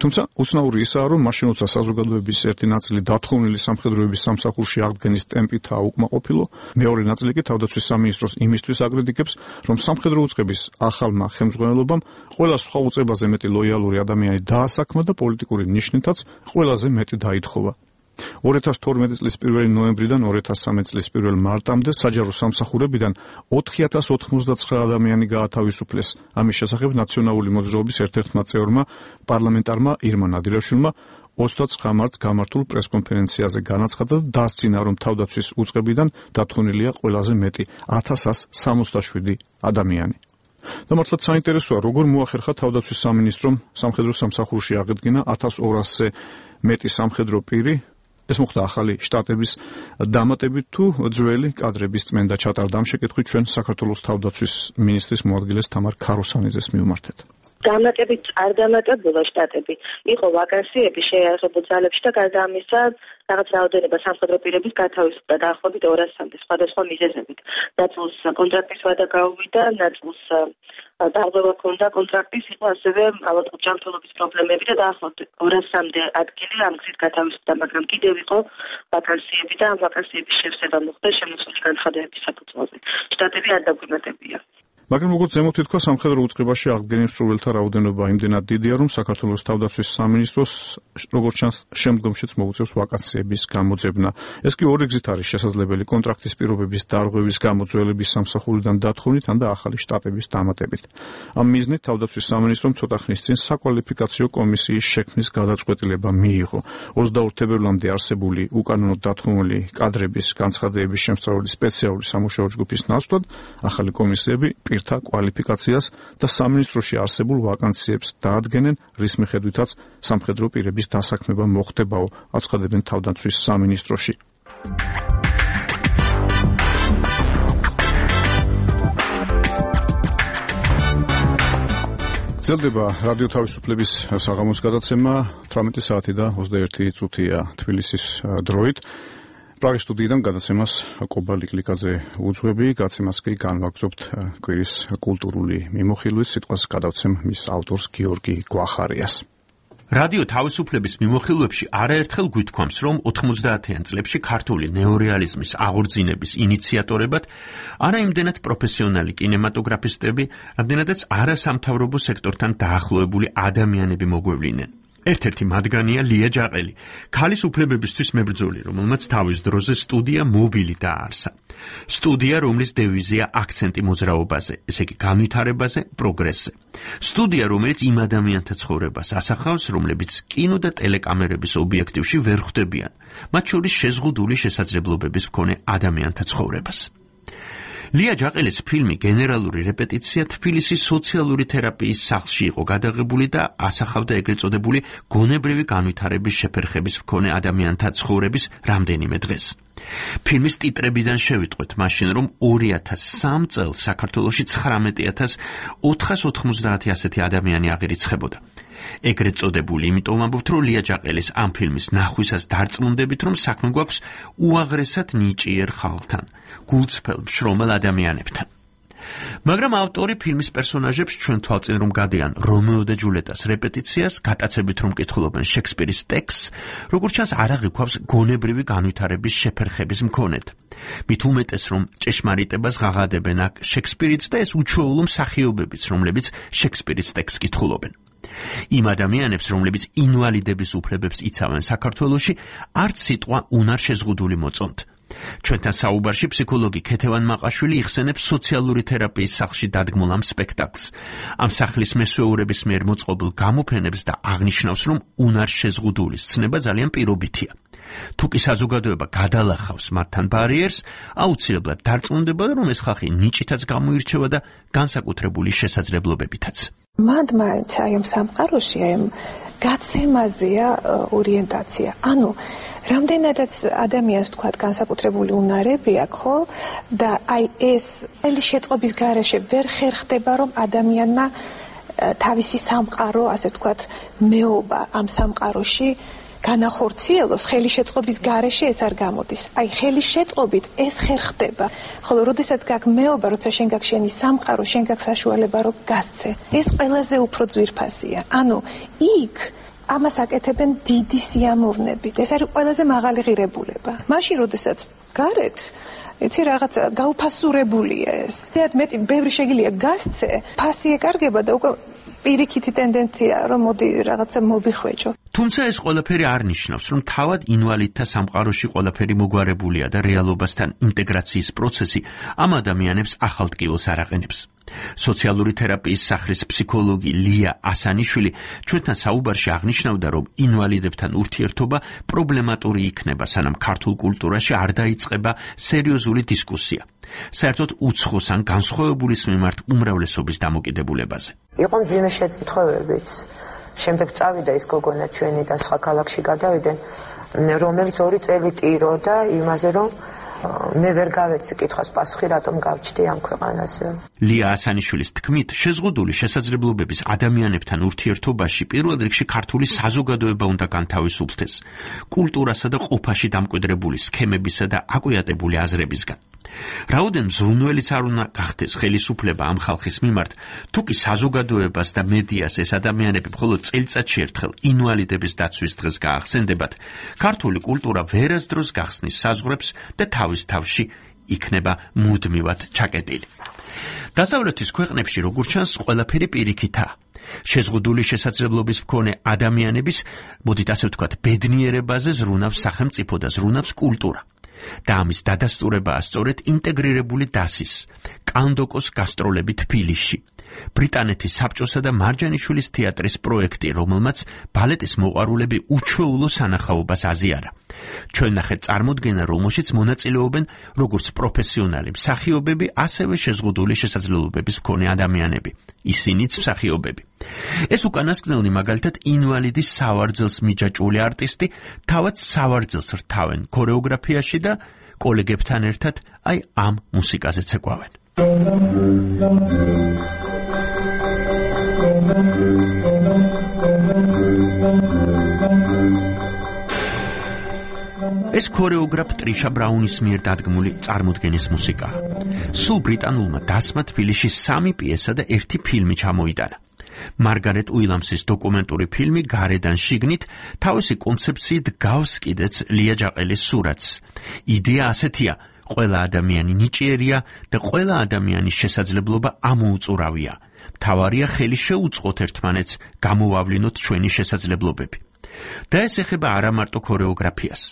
თუმცა უცნაური ისაა, რომ მაშინ როცა საზოგადოების ერთი ნაწილი დათხოვნილი სამხედროების სამსახურში აღდგენის ტემპითაა უკმაყოფილო, მეორე ნაწილი კი თავდაცვის სამინისტროს იმისთვის აკრიტიკებს, რომ სამხედრო უწყების ახალმა ხელმძღვანელობამ ყველა სხვა უწყებაზე მეტი ლოიალური ადამიანი დაასაქმა და პოლიტიკური ნიშნითაც ყველაზე მეტი დაითხოვა. ორი ათას თორმეტი წლის პირველი ნოემბრიდან ორი ათას სამი წლის პირველი მარტამდე საჯარო სამსახურებიდან ოთხი ათას ოთხმოცდაცხრა ადამიანი გაათავისუფლეს. ამის შესახებ ნაციონალური მოძრაობის ერთ-ერთმა წევრმა პარლამენტარმა ირმა ნადირაშვილმა ოცდაცხრა მარტს გამართულ პრესკონფერენციაზე განაცხადა და დასძინა, რომ თავდაცვის უწყებიდან დათმობილია ყველაზე მეტი ათას ასი სამოცდაშვიდი ადამიანი. და მართლაც საინტერესოა, როგორ მოახერხა თავდაცვის სამინისტრომ სამხედრო სამსახურში აღედგინა ათას ორასზე მეტი სამხედრო პირი. ეს მოხდა ახალი შტატების დამატებით თუ ძველი კადრების წმენდა ჩატარდა? ამ შეკითხვით ჩვენ საქართველოს თავდაცვის მინისტრის მოადგილეს თამარ ქაროსანიძეს მივმართეთ. დამატებით არ დამატებულა შტატები. იყო ვაკანსიები შეიარაღებულ ძალებში და გარდა ამისა რაღაც რაოდენობა სამხედრო პირების გათავისუფლდა დაახლოებით ორასამდე სხვადასხვა მიზეზებით. ნაწილს კონტრაქტის ვადა გაუვიდა, ნაწილს დარღვევა ჰქონდა კონტრაქტის, იყო ასევე ალბათ ჯანმრთელობის პრობლემები და დაახლოებით ორასამდე ადგილი ამ გზით გათავისუფლდა, მაგრამ კიდევ იყო ვაკანსიები და ამ ვაკანსიების შევსება მოხდა შემოსული განცხადებების საფუძველზე. შტატები არ დაგვიმატებია. მაგრამ როგორც ზემოთ ითქვა, სამხედრო უწყებაში აღდგენილ მსურველთა რაოდენობა იმდენად დიდია, რომ საქართველოს თავდაცვის სამინისტროს როგორც ჩანს შემდგომშიც მოუწევს ვაკანსიების გამოძებნა. ეს კი ორი გზით არის შესაძლებელი: კონტრაქტის პირობების დარღვევის გამო ძველების სამსახურიდან დათხოვნით, ან და ახალი შტატების დამატებით. ამ მიზნით თავდაცვის სამინისტრომ ცოტა ხნის წინ საკვალიფიკაციო კომისიის შექმნის გადაწყვეტილება მიიღო. ოცდაორ თებერვლამდე არსებული უკანონოდ დათმობილი კადრების განცხადებების შემსწავლელი სპეციალური სამუშაო ჯგუფის ნაცვლად ახალი კომისიები პირთა კვალიფიკაციას და სამინისტროში არსებულ ვაკანსიებს დაადგენენ, რის მიხედვითაც სამხედრო პირების დასაქმება მოხდებაო, აცხადებენ თავდაცვის სამინისტროში. ძლდება რადიო თავისუფლების საღამოს გადაცემა თვრამეტი საათი და ოცდაერთი წუთია თბილისის დროით. პრაღის სტუდიიდან გადაცემას კობა ლიკლიკაძე უძღვები, გაცემას კი განვაგრძობთ კვირის კულტურული მიმოხილვით, სიტყვას გადავცემ მის ავტორს გიორგი გვახარიას. რადიო თავისუფლების მიმოხილვებში არაერთხელ გვითქვამს, რომ ოთხმოცდაათიან წლებში ქართული ნეორეალიზმის აღორძინების ინიციატორებად არა იმდენად პროფესიონალი კინემატოგრაფისტები, რამდენადაც არასამთავრობო სექტორთან დაახლოებული ადამიანები მოგვევლინენ. ერთ-ერთი მათგანია ლია ჯაყელი, ქალის უფლებებისთვის მებრძოლი, რომელმაც თავის დროზე სტუდია მობილი დააარსა. სტუდია, რომლის დევიზია აქცენტი მოძრაობაზე, ესე იგი განვითარებაზე, პროგრესზე. სტუდია, რომელიც იმ ადამიანთა ცხოვრებას ასახავს, რომლებიც კინო და ტელეკამერების ობიექტივში ვერ ხვდებიან, მათ შორის შეზღუდული შესაძლებლობების მქონე ადამიანთა ცხოვრებას. ლია ჯაყელის ფილმი გენერალური რეპეტიცია თბილისის სოციალური თერაპიის სახლში იყო გადაღებული და ასახავდა ეგრეთ წოდებული გონებრივი განვითარების შეფერხების მქონე ადამიანთა ცხოვრების რამდენიმე დღეს. ფილმის ტიტრებიდან შევიტყვეთ მაშინ, რომ ორი ათას სამი წელს საქართველოში ცხრამეტი ათას ოთხას ოთხმოცდაათი ასეთი ადამიანი აღირიცხებოდა. ეგრეთ წოდებული, იმიტომ ამბობთ, რომ ლია ჯაყელის ამ ფილმის ნახვისას დარწმუნდებით, რომ საქმე გვაქვს უაღრესად ნიჭიერ ხალხთან, გულწრფელ შრომელ ადამიანებთან. მაგრამ ავტორი ფილმის პერსონაჟებს ჩვენ თვალწინ რომ გადიან რომეო და ჯულეტას რეპეტიციას, გატაცებით რომ კითხულობენ შექსპირის ტექსტს, როგორც ჩანს არ აღიქვავს გონებრივი განვითარების შეფერხების მქონედ. მით უმეტეს რომ ჭეშმარიტებას ღაღადებენ აქ შექსპირიც და ეს უჩვეულო მსახიობებიც, რომლებიც შექსპირის ტექსტს კითხულობენ. იმ ადამიანებს, რომლებიც ინვალიდების უფლებებს იცავენ საქართველოში, არც სიტყვა უნარ შეზღუდული მოწონთ. ჩვენთან საუბარში ფსიქოლოგი ქეთევან მაყაშვილი იხსენებს სოციალური თერაპიის სახლში დადგმულ ამ სპექტაკლს, ამ სახლის მესვეურების მიერ მოწყობილ გამოფენებს და აღნიშნავს, რომ უნარ შეზღუდულის ცნება ძალიან პირობითია. თუ კი საზოგადოება გადალახავს მათთან ბარიერს, აუცილებლად დარწმუნდება, რომ ეს ხალხი ნიჭითაც გამოირჩევა და განსაკუთრებული შესაძლებლობებითაც. მანდ მაინც აი ამ სამყაროში აი ამ გაცემაზეა ორიენტაცია. ანუ რამდენადაც ადამიანს თქვა განსაკუთრებული უნარები აქვს, ხო? და აი ეს ელი შეწყობის გარეშე ვერ ხერხდება, რომ ადამიანმა თავისი სამყარო, ასე ვთქვათ, მეობა ამ სამყაროში განახორციელოს, ხელი შეწყობის გარეშე ეს არ გამოდის. აი ხელი შეწყობით ეს ხერხდება. ხოლო როდესაც გაქვს მეობა, როცა შენ გაქვს შენი სამყარო, შენ გაქვს საშუალება რომ გასცე. ეს ყველაზე უფრო ძვირფასია. ანუ იქ ამას აკეთებენ დიდი სიამოვნებით. ეს არის ყველაზე მაღალი ღირებულება. მაშინ როდესაც გარეთ იცი რაღაც გაუფასურებულია ეს. თეატ მეტი ბევრი შეგიძლია გასცე, ფასი ეკარგება და უკვე პირიქითი ტენდენცია რომ მოდი რაღაცა მოვიხვეჭო. თუმცა ეს ყველაფერი არ ნიშნავს, რომ თავად ინვალიდთა სამყაროში ყველაფერი მოგვარებულია და რეალობასთან ინტეგრაციის პროცესი ამ ადამიანებს ახალ ტკივილს არ აყენებს. სოციალური თერაპიის სახლის ფსიქოლოგი ლია ასანიშვილი ჩვენთან საუბარში აღნიშნავდა, რომ ინვალიდებთან ურთიერთობა პრობლემატური იქნება, სანამ ქართულ კულტურაში არ დაიწყება სერიოზული დისკუსია. საერთოდ უცხოს ან განსხვავებულის მიმართ უმრავლესობის დამოკიდებულებაზე. იყო მძიმე შეთანხმებებიც. შემდეგ წავიდა ის გოგონა ჩვენი და სხვა ქალაქში გადავიდნენ, რომელიც ორი წელი ტიროდა იმაზე, რომ მე ვერ გავეცი კითხვის პასუხი, რატომ გავჩდი ამ ქვეყანაზე. ლია ასანიშვილის თქმით, შეზღუდული შესაძლებლობების ადამიანებთან ურთიერთობაში პირველ რიგში ქართული საზოგადოება უნდა განთავისუფლდეს კულტურასა და ყოფაში დამკვიდრებული სქემებისა და აკვიატებული აზრებისგან. რაოდენ მზრუნველიც არ უნდა გახდეს ხელისუფლება ამ ხალხის მიმართ, თუ კი საზოგადოებას და მედიას ეს ადამიანები მხოლოდ წელიწადში ერთხელ ინვალიდების დაცვის დღეს გაახსენდებათ, ქართული კულტურა ვერასდროს გახსნის საზღვრებს და თავის თავში იქნება მუდმივად ჩაკეტილი. დასავლეთის ქვეყნებში, როგორც ჩანს, ყველაფერი პირიქითაა. შეზღუდული შესაძლებლობის მქონე ადამიანების, მოდით ასე ვთქვათ, ბედნიერებაზე ზრუნავს სახელმწიფო და ზრუნავს კულტურა. და ამის დადასტურებაა სწორედ ინტეგრირებული დასის, კანდოკოს გასტროლები თბილისში, ბრიტანეთის საბჭოსა და მარჯანიშვილის თეატრის პროექტი, რომელმაც ბალეტის მოყვარულები უჩვეულო სანახაობას აზიარა. ჩვენ ნახეთ წარმოდგენა, რომელშიც მონაწილეობენ როგორც პროფესიონალი მსახიობები, ასევე შეზღუდული შესაძლებლობების მქონე ადამიანები, ისინიც მსახიობები. ეს უკანასკნელი მაგალითად ინვალიდის სავარძელს მიჯაჭვული არტისტი თავად სავარძელს რთავენ ქორეოგრაფიაში და კოლეგებთან ერთად აი ამ მუსიკაზე ცეკვავენ. ეს ქორეოგრაფ ტრიშა ბრაუნის მიერ დადგმული წარმოდგენის მუსიკაა. სულ ბრიტანულმა დასმა თბილისში სამი პიესა და ერთი ფილმი ჩამოიტანა. მარგარეტ უილამსის დოკუმენტური ფილმი გარედან შიგნით თავისი კონცეფციით გავს კიდეც ლია ჯაყელის სურათს. იდეა ასეთია, ყველა ადამიანი ნიჭიერია და ყველა ადამიანის შესაძლებლობა ამოუწურავია. მთავარია ხელი შეუწყოთ ერთმანეთს, გამოვავლინოთ ჩვენი შესაძლებლობები. და ეს ეხება არა მარტო ქორეოგრაფიას.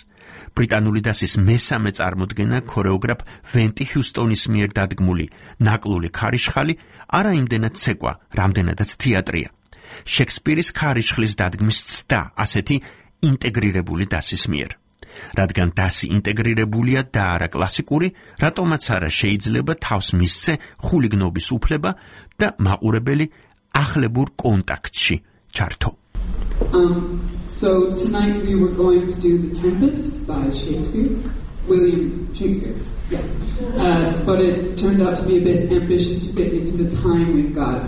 ბრიტანული დასის მესამე წარმოდგენა ქორეოგრაფ ვენტი ჰიუსტონის მიერ დადგმული ნაკლული ქარიშხალი არა იმდენად ცეკვა, რამდენადაც თეატრია. შექსპირის ქარიშხლის დადგმის ცდა ასეთი ინტეგრირებული დასის მიერ. რადგან დასი ინტეგრირებულია და არა კლასიკური, რატომაც არა შეიძლება თავს მისცე ხულიგნობის უფლება და მაყურებელი ახლებურ კონტაქტში ჩართო. Um, so tonight we were going to do The Tempest by Shakespeare, William Shakespeare, yeah. Uh, but it turned out to be a bit ambitious to fit into the time we've got.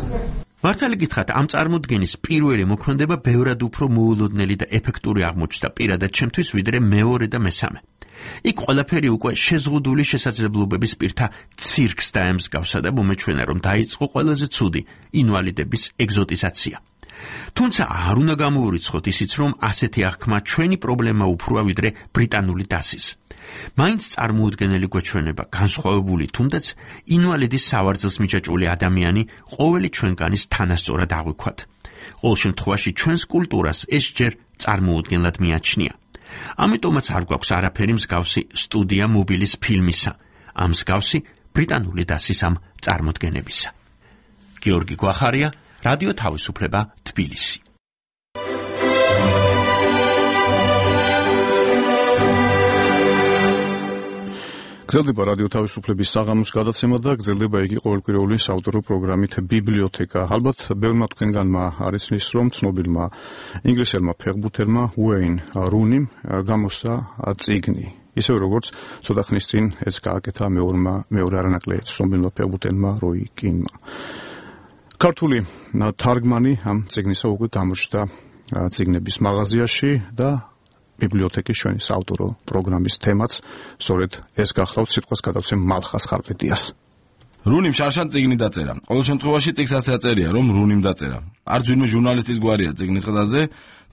მართალი გითხრათ, ამ წარმოდგენის პირველი მოქმედება ბევრად უფრო მოულოდნელი და ეფექტური აღმოჩნდა პირადად ჩემთვის, ვიდრე მეორე და მესამე. იქ ყველაფერი უკვე შეზღუდული შესაძლებლობების პირთა ცირკს დაემსგავსა და მომეჩვენა, რომ დაიწყო ყველაზე ცუდი ინვალიდების ეგზოტიზაცია. თუმცა არ უნდა გამოურიცხოთ ისიც, რომ ასეთი აღქმა ჩვენი პრობლემა უფროა ვიდრე ბრიტანული დასის. მაინც წარმოუდგენელი გვეჩვენება განსხვავებული, თუნდაც ინვალიდის სავარძელს მიჯაჭვული ადამიანი ყოველი ჩვენგანის თანასწორად აღვიქვათ. ყოველ შემთხვევაში ჩვენს კულტურას ეს ჯერ წარმოუდგენლად მიაჩნია. ამიტომაც არ გვაქვს არაფერი მსგავსი სტუდია მობილის ფილმისა, ამ მსგავსი ბრიტანული დასის ამ წარმოდგენებისა. გიორგი გვახარია, რადიო თავისუფლება, თბილისი. გრძელდება რადიო თავისუფლების საღამოს გადაცემა და გრძელდება იგი ყოველკვირეული საავტორო პროგრამით ბიბლიოთეკა. ალბათ ბევრმა თქვენგანმა არის ის, რომ ცნობილმა ინგლისელმა ფეხბურთელმა უეინ რუნიმ გამოსცა წიგნი. ისევ როგორც ცოტა ხნის წინ ეს გააკეთა მეორმა მეორე არანაკლე ცნობილმა ფეხბურთელმა როი კინმა. ქართული თარგმანი ამ წიგნისა უკვე გამოჩნდა წიგნების მაღაზიაში და ბიბლიოთეკის ჩვენი საავტორო პროგრამის თემაც სწორედ ეს გახლავთ, სიტყვას გადავცემ მალხას ხარვეტიას. რუნიმ შარშან წიგნი დაწერა. ყოველ შემთხვევაში წიგნს ასე აწერია, რომ რუნიმ დაწერა. არც ვინმე ჟურნალისტის გვარია წიგნის ყდაზე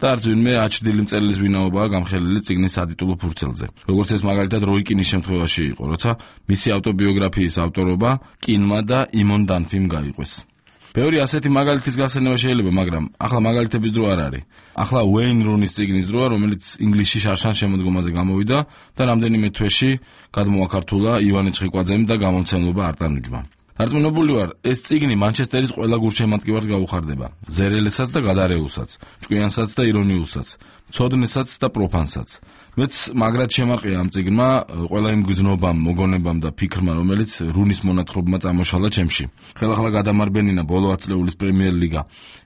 და არც ვინმე აჩრდილი მწერლის ვინაობაა გამხელილი წიგნის ადიტულო ფურცელზე. როგორც ეს მაგალითად როი კინის შემთხვევაში იყო, როცა მისი ავტობიოგრაფიის ავტორობა კინმა და იმონ დანფიმ გაიყვეს. ბევრი ასეთი მაგალითის გახსენება შეიძლება, მაგრამ ახლა მაგალითების დრო არ არის. ახლა Wayne Rooney-ის წიგნის დროა, რომელიც ინგლისში შარშან შემოდგომაზე გამოვიდა და რამდენიმე თვეში გადმოაქართულა ივანე ჩხიკვაძემ და გამომცემლობა არტანუჯმა. დარწმუნებული ვარ, ეს წიგნი მანჩესტერის ყველა გულშემატკივარს გაუხარდება, ზერელესაც და გადარეულსაც, ჭკვიანსაც და ირონიულსაც, მცოდნესაც და პროფანსაც. მეც მაგრად შემარყია ამ წიგნმა ყველა იმ გზნობამ, მოგონებამ და ფიქრმა, რომელიც რუნის მონათხრობმა წამოშალა ჩემში. ხელახლა გადამარბენინა ბოლო ათწლეულის პრემიერ ლიგა,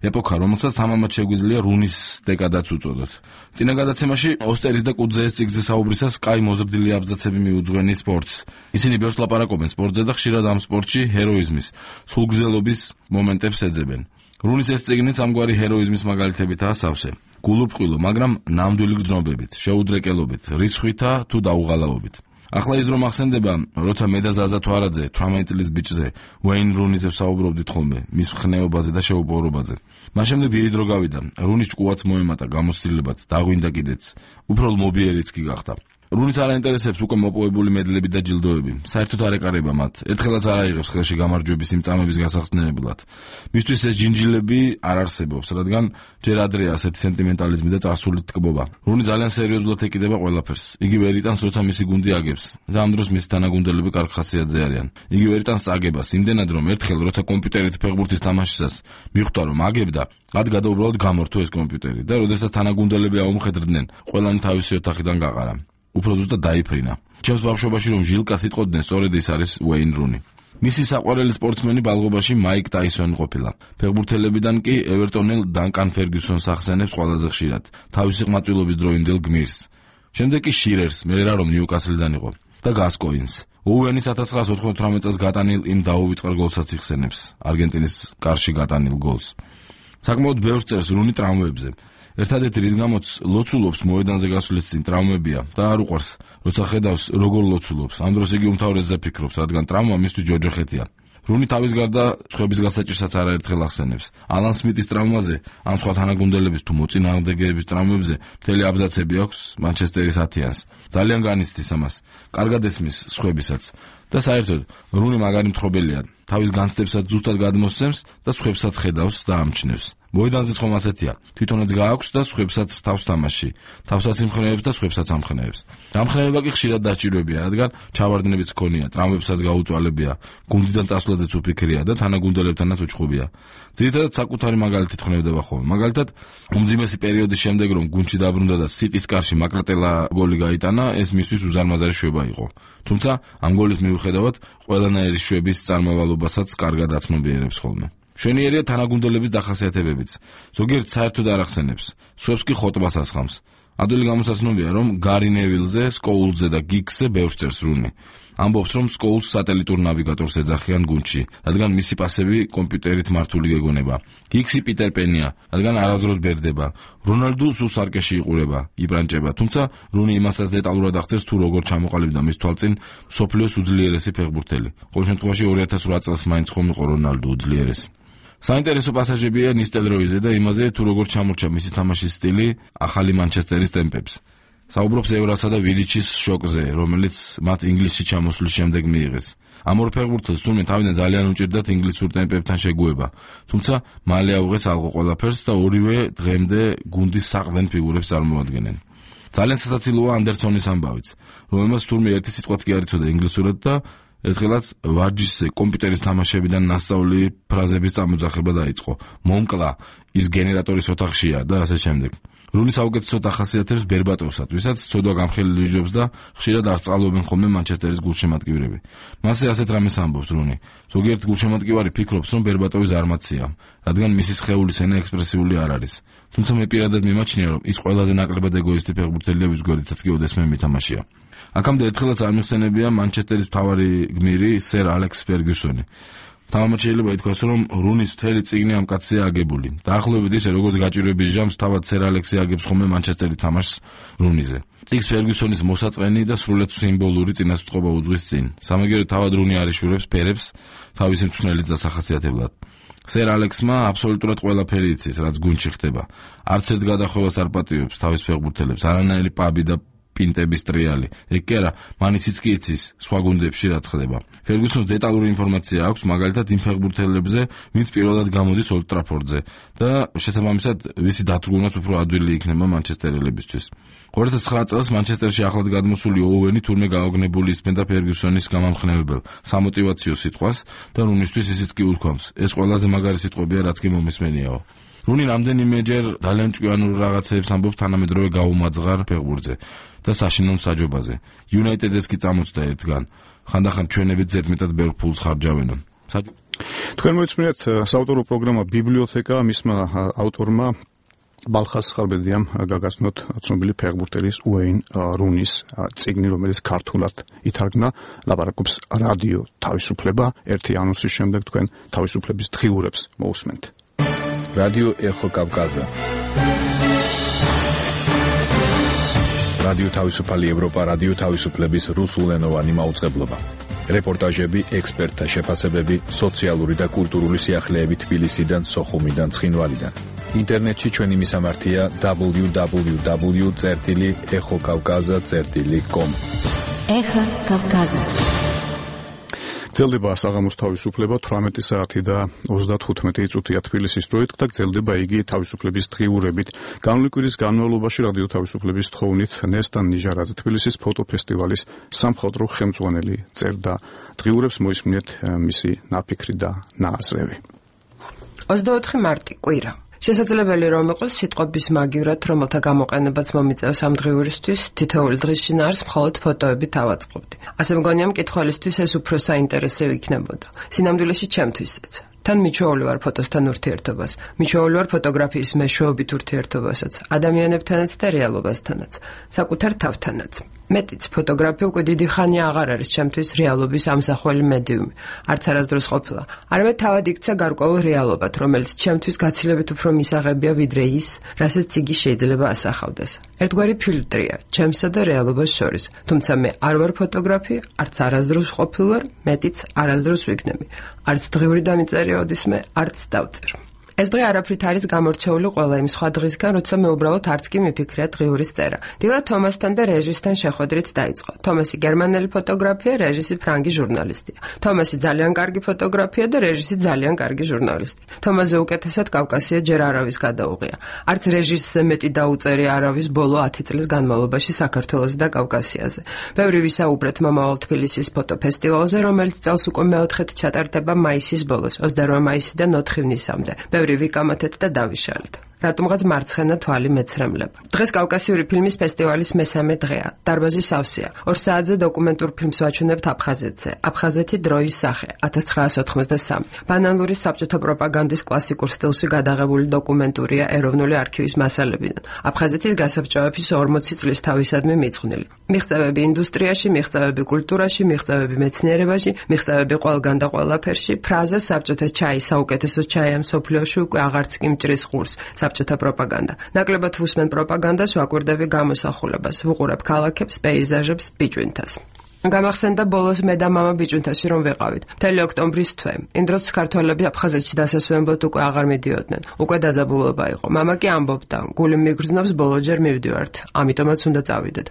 ეპოქა, რომელსაც თამამად შეგვიძლია რუნის დეკადაც უწოდოთ. წინა გადაცემაში ოსტერის და კუძეეს წიგნზე საუბრისას კაი მოზრდილი აბზაცები მიუძღვენი სპორტს. ისინი ბევრს ლაპარაკობენ სპორტზე და ხშირად ამ სპორტში ჰეროიზმის, სულგრძელობის მომენტებს ეძებენ. რუნის ეს წიგნიც ამგვარი ჰეროიზმის მაგალითებითაა სავსე. გულუბრყვილო, მაგრამ ნამდვილი გრძნობებით, შეუდრეკელობით, რისხვითა თუ დაუღალავობით. ახლა ის რომ ახსენდება, როცა მე და ზაზა თვარაძე თვრამეტი წლის ბიჭზე Wayne Rooney-ზე ვსაუბრობდით ხოლმე, მის ხნეობაზე და შეუპოვრობაზე. მას შემდეგ დიდი დრო გავიდა, რუნის ჭკუაც მოემატა, გამოცდილებაც, დაღვინდა კიდეც, უფრო მობიერიც კი გახდა. რუნის არ აინტერესებს უკვე მოპოვებული მედლები და ჯილდოები. საერთოდ არ ეკარება მათ. ერთხელაც არ აიღებს ხელში გამარჯვების იმ წამების გასახსნელებლად. მისთვის ეს ჯინჯილები არ არსებობს, რადგან ჯერ ადრეა ასეთი სენტიმენტალიზმი და წარსული თკბობა. რუნი ძალიან სერიოზულად ეკიდება ყველაფერს. იგი ვერ იტანს, როცა მისი გუნდი აგებს და ამ დროს მისი თანაგუნდელები კარგ ხასიათზე არიან. იგი ვერ იტანს წაგებას, იმდენად რომ ერთხელ როცა კომპიუტერით ფეხბურთის თამაშისას მიხვდა რომ აგებდა, ადგადა უბრალოდ გამორთო ეს კომპიუტერი და როდესაც თანაგუნდელები აუმხედრდნენ, ყველანი თავისი ოთახიდან გაყარა. უფრო ზუსტად დაიფრინა. ჩემს ბავშვობაში რომ ჟილკა სიტყოდნენ, სწორედ ის არის Wayne Rooney. მისი საყვარელი სპორტსმენი ბალღობაში მაიკ ტაისონი ყოფილა. ფეხბურთელებიდან კი ევერტონელ დანკან ფერგიუსონს ახსენებს ყველაზე ხშირად, თავისი ყმაწვილობის დროინდელ გმირს. შემდეგ კი შირერს, მე რა რომ ნიუკასლიდან იყო და გასკოინს. ოუენის ათას ცხრაას ოთხმოცდაოთხ წელს გატანილ იმ დაუვიწყარ გოლსაც იხსენებს, არგენტინის კარში გატანილ გოლს. საკმაოდ ბევრს წერს რუნი ტრავმებზე. ერთადერთი რის გამოც ლოცულობს მოედანზე გასვლის წინ ტრავმებია და არ უყვარს, როცა ხედავს როგორ ლოცულობს. ამ დროს იგი უმთავრესზე ფიქრობს, რადგან ტრავმა მისთვის ჯოჯოხეთია. რუნი თავის გარდა სხვების გასაჭირსაც არაერთხელ ახსენებს. ალან სმიტის ტრავმაზე, ან სხვა თანაგუნდელების თუ მოწინააღმდეგეების ტრავმებზე მთელი აბზაცები აქვს მანჩესტერის ათიანს. ძალიან განიცდის ამას, კარგად ესმის სხვებისაც. და საერთოდ რუნი მაგარი მთხრობელია, თავის განცდებსაც ზუსტად გადმოსცემს და სხვებსაც ხედავს და ამჩნევს. მოედანზე ხომ ასეთია, თვითონაც გააქვს და სხვებსაც თავს თამაში, თავსაც იმხნევებს და სხვებსაც ამხნევებს. ამხნევება კი ხშირად დაჭიროებია, რადგან ჩავარდნებიც ჰქონია, ტრავმებსაც გაუწვალებია, გუნდიდან წასვლაზეც უფიქრია და თანაგუნდელებთანაც უჩხუბია. ძირითადად საკუთარი მაგალითით ხნევდება ხოლმე. მაგალითად, უმძიმესი პერიოდის შემდეგ რომ გუნდში დაბრუნდა და სიტის კარში მაკრატელა გოლი გაიტანა, ეს მისთვის უზარმაზარი შვება იყო. თუმცა ამ გოლის მიუხედავად, ყველანაირი შვების წარმავალობასაც კარგად აცნობიერებს ხოლმე. შვენიერია თანაგუნდელების დახასიათებებიც. ზოგიერთ საერთოდ არ ახსენებს, სხვებს კი ხოტბას ასხამს. ადვილი გამოსაცნობია, რომ გარი ნევილზე, სკოულზე და გიგსზე ბევრს წერს რუნი. ამბობს, რომ სკოულს სატელიტურ ნავიგატორს ეძახიან გუნდში, რადგან მისი პასები კომპიუტერით მართული გეგონება. გიგსი პიტერ პენია, რადგან არასდროს ბერდება. რონალდუ სულ სარკეში იყურება, იბრანჭება, თუმცა რუნი იმასაც დეტალურად აღწერს, თუ როგორ ჩამოყალიბდა მის თვალწინ მსოფლიოს უძლიერესი ფეხბურთელი. ყოველ შემთხვევაში ორი ათას ოთხ წელს მაინც ხომ იყო რონალდუ უძლიერესი. საინტერესო პასაჟებია ნისტელროიზე და იმაზე, თუ როგორ ჩამორჩა მისი თამაშის სტილი ახალი მანჩესტერის ტემპებს. საუბრობს ევრასა და ვილიჩის შოკზე, რომელიც მათ ინგლისში ჩამოსვლის შემდეგ მიიღეს. ამ ორ ფეხბურთელს თურმე თავიდან ძალიან უჭირდათ ინგლისურ ტემპებთან შეგუება, თუმცა მალე აუღეს ალყო ყველაფერს და ორივე დღემდე გუნდის საყრდენ ფიგურებს წარმოადგენენ. ძალიან სასაცილოა ანდერსონის ამბავიც, რომელმაც თურმე ერთი სიტყვაც კი არ იცოდა ინგლისურად და ერთხელაც ვარჯიშზე კომპიუტერის თამაშებიდან ნასწავლი ფრაზების წამოძახება დაიწყო. მომკლა, ის გენერატორის ოთახშია და ასე შემდეგ. რუნი საუკეთესოდ ახასიათებს ბერბატოვსაც, ვისაც ცოდვა გამხელილი იჯობს და ხშირად არ სწავლობენ ხოლმე მანჩესტერის გულშემატკივრები. მასე ასეთ რამეს ამბობს რუნი. ზოგიერთ გულშემატკივარი ფიქრობს, რომ ბერბატოვი ზარმაცია, რადგან მისი სხეულის ენა ექსპრესიული არ არის. თუმცა მე პირადად მიმაჩნია, რომ ის ყველაზე ნაკლებად ეგოისტი ფეხბურთელია, ვის გვერდითაც კი ოდესმე მითამაშია. აქამდე ერთხელაც არ მიხსენებია მანჩესტერის მთავარი გმირი სერ ალექს ფერგიუსონი. თამამად შეიძლება ითქვას, რომ რუნის მთელი წიგნი ამ კაცია აგებული. დაახლოებით ისე, როგორც გაჭირვების ჟამს თავად სერ ალექსი აგებს ხოლმე მანჩესტერი თამაშს რუნიზე. წიგს ფერგიუსონის მოსაწყენი და სრულიად სიმბოლური წინასწყვეტობა უძღვის წინ. სამაგიეროდ თავად რუნი არიშურებს ფერებს თავისი მწვრთნელის დასახასიათებლად. სერ ალექსმა აბსოლუტურად ყველაფერი იცის, რაც გუნდში ხდება. არც ერთ გადახვევას არ პატივებს თავის ფეხბურთელებს, არანაირი პაბი და პინტების ტრიალი. ეგ კი არა, მან ისიც კი იცის სხვა გუნდებში რაც ხდება. ფერგუსონს დეტალური ინფორმაცია აქვს, მაგალითად იმ ფეხბურთელებზე, ვინც პირველად გამოდის ოლდ ტრაფორდზე და შესაბამისად ვისი დათრგუნვაც უფრო ადვილი იქნება მანჩესტერელებისთვის. ორი ათას ცხრა წელს მანჩესტერში ახლად გადმოსული ოუენი თურმე გაოგნებული ისმენდა ფერგუსონის გამამხნევებელ სამოტივაციო სიტყვას და რუნისთვის ისიც კი უთქვამს. ეს ყველაზე მაგარი სიტყვებია, რაც კი მომისმენიაო. რუნი რამდენიმეჯერ ძალიან ჭკვიანურ რაღაცებს ამბობს თანამედროვე გაუმაძღარ ფეხბურთზე და საშინელ მსაჯობაზე. იუნაიტედზეც კი წამოწდა ერთგან. ხანდახან ჩვენებით ზედმეტად ბევრ ფულს ხარჯავენ. თქვენ მოიწმინეთ საავტორო პროგრამა ბიბლიოთეკა მისმა ავტორმა ბალხას ხარბედიამ გაგაცნოთ ცნობილი ფეხბურთელის უეინ რუნის წიგნი, რომელიც ქართულად ითარგმნა. ლაპარაკობს რადიო თავისუფლება. ერთი ანონსის შემდეგ თქვენ თავისუფლების დღიურებს მოусმენთ. რადიო ეხო კავკაზა. რადიო თავისუფალი ევროპა, რადიო თავისუფლების რუსულენოვანი მაუწყებლობა. რეპორტაჟები, ექსპერტთა შეფასებები, სოციალური და კულტურული სიახლეები თბილისიდან, სოხუმიდან, ცხინვალიდან. ინტერნეტში ჩვენი მისამართია დაბლიუ დაბლიუ დაბლიუ წერტილი ეხო კავკაზა წერტილი კომ. ეხო კავკაზა. გრძელდება საღამოს თავისუფლება თვრამეტი საათი და ოცდათხუთმეტი წუთია თბილისის დროით და გრძელდება იგი თავისუფლების დღიურებით. განვლი კვირის განმავლობაში რადიო თავისუფლების თხოვნით ნესტან ნიჟარაძე თბილისის ფოტოფესტივალის სამხატვრო ხელმძღვანელი წერდა დღიურებს. მოისმინეთ მისი ნაფიქრი და ნააზრევი. ოცდაოთხი მარტი კვირა. შესაძლებელი რომ იყოს სიტყვების მაგივრად, რომელთა გამოყენებაც მომიწევს ამ დღიურისთვის, თითოეული დღის შინაარს მხოლოდ ფოტოებით ავაწყობდი. ასე მგონია მკითხველისთვის ეს უფრო საინტერესო იქნებოდა. სინამდვილეში ჩემთვისაც. თან მიჩვეული ვარ ფოტოსთან ურთიერთობას, მიჩვეული ვარ ფოტოგრაფიის მეშვეობით ურთიერთობასაც, ადამიანებთანაც და რეალობასთანაც, საკუთარ თავთანაც. მეტიც ფოტოგრაფია უკვე დიდი ხანია აღარ არის ჩემთვის რეალობის ამსახველი მედიუმი. არც არასდროს ყოფილა. არამედ თავად იქცა გარკვეულ რეალობად, რომელიც ჩემთვის გაცილებით უფრო მისაღებია ვიდრე ის, რასაც იგი შეიძლება ასახავდეს. ერთგვარი ფილტრია ჩემსა და რეალობას შორის. თუმცა მე არ ვარ ფოტოგრაფი, არც არასდროს ყოფილვარ, მეტიც არასდროს ვიქნები. არც დღიური დამიწერია ოდისმე, არც დავწერ. ეს დღე არაფრით არის გამორჩეული ყველა იმ სხვა დღისგან, როცა მე უბრალოდ არც კი მიფიქრია დღიურის წერა. დილა თომასთან და რეჟისთან შეხვედრით დაიწყო. თომასი გერმანელი ფოტოგრაფია, რეჟისი ფრანგი ჟურნალისტია. თომასი ძალიან კარგი ფოტოგრაფია და რეჟისი ძალიან კარგი ჟურნალისტი. თომასზე უკეთესად კავკასია ჯერ არავის გადაუღია. არც რეჟისზე მეტი დაუწერია არავის ბოლო ათი წლის განმავლობაში საქართველოს და კავკასიაზე. ბევრი ვისაუბრეთ მომავალ თბილისის ფოტოფესტივალზე, რომელიც წელს უკვე მეოთხედ ჩატარდება მაისის ბოლოს, ოცდაოთხი მაისიდან ოთხი ივნისამდე. ვიკამათეთ და დავიშალეთ. რატომღაც მარცხენა თვალი მეცრემლება. დღეს კავკასიური ფილმის ფესტივალის მესამე დღეა. დარბაზი სავსეა. ორ საათზე დოკუმენტურ ფილმს ვაჩვენებთ აფხაზეთზე. აფხაზეთი დროის სახე ათას ცხრაასი ოთხმოცდასამი. ბანალური საბჭოთა პროპაგანდის კლასიკურ სტილში გადაღებული დოკუმენტურია ეროვნული არქივის მასალებიდან. აფხაზეთის გასაბჭოების ორმოცი წლის თავისადმი მიძღვნილი. მიღწევები ინდუსტრიაში, მიღწევები კულტურაში, მიღწევები მეცნიერებაში, მიღწევები ყველგან და ყველაფერში. ფრაზა საბჭოთა ჩაი საუკეთესო ჩაია მსოფლიოში უკვე აღარც კი მჭრის ყურს. საბჭოთა პროპაგანდა. ნაკლებად ვუსმენ პროპაგანდას, ვაკვირდები გამოსახულებას, ვუყურებ ქალაქებს, პეიზაჟებს, ბიჭვინთას. გამახსენდა ბოლოს მე და მამა ბიჭვინთაში რომ ვეყავით. მთელი ოქტომბრის თვე. იმ დროს ქართველები აფხაზეთში დასასვენებლად უკვე აღარ მიდიოდნენ. უკვე დაძაბულობა იყო. მამა კი ამბობდა, გული მიგრძნობს, ბოლოჯერ მივდივართ. ამიტომაც უნდა წავიდეთ.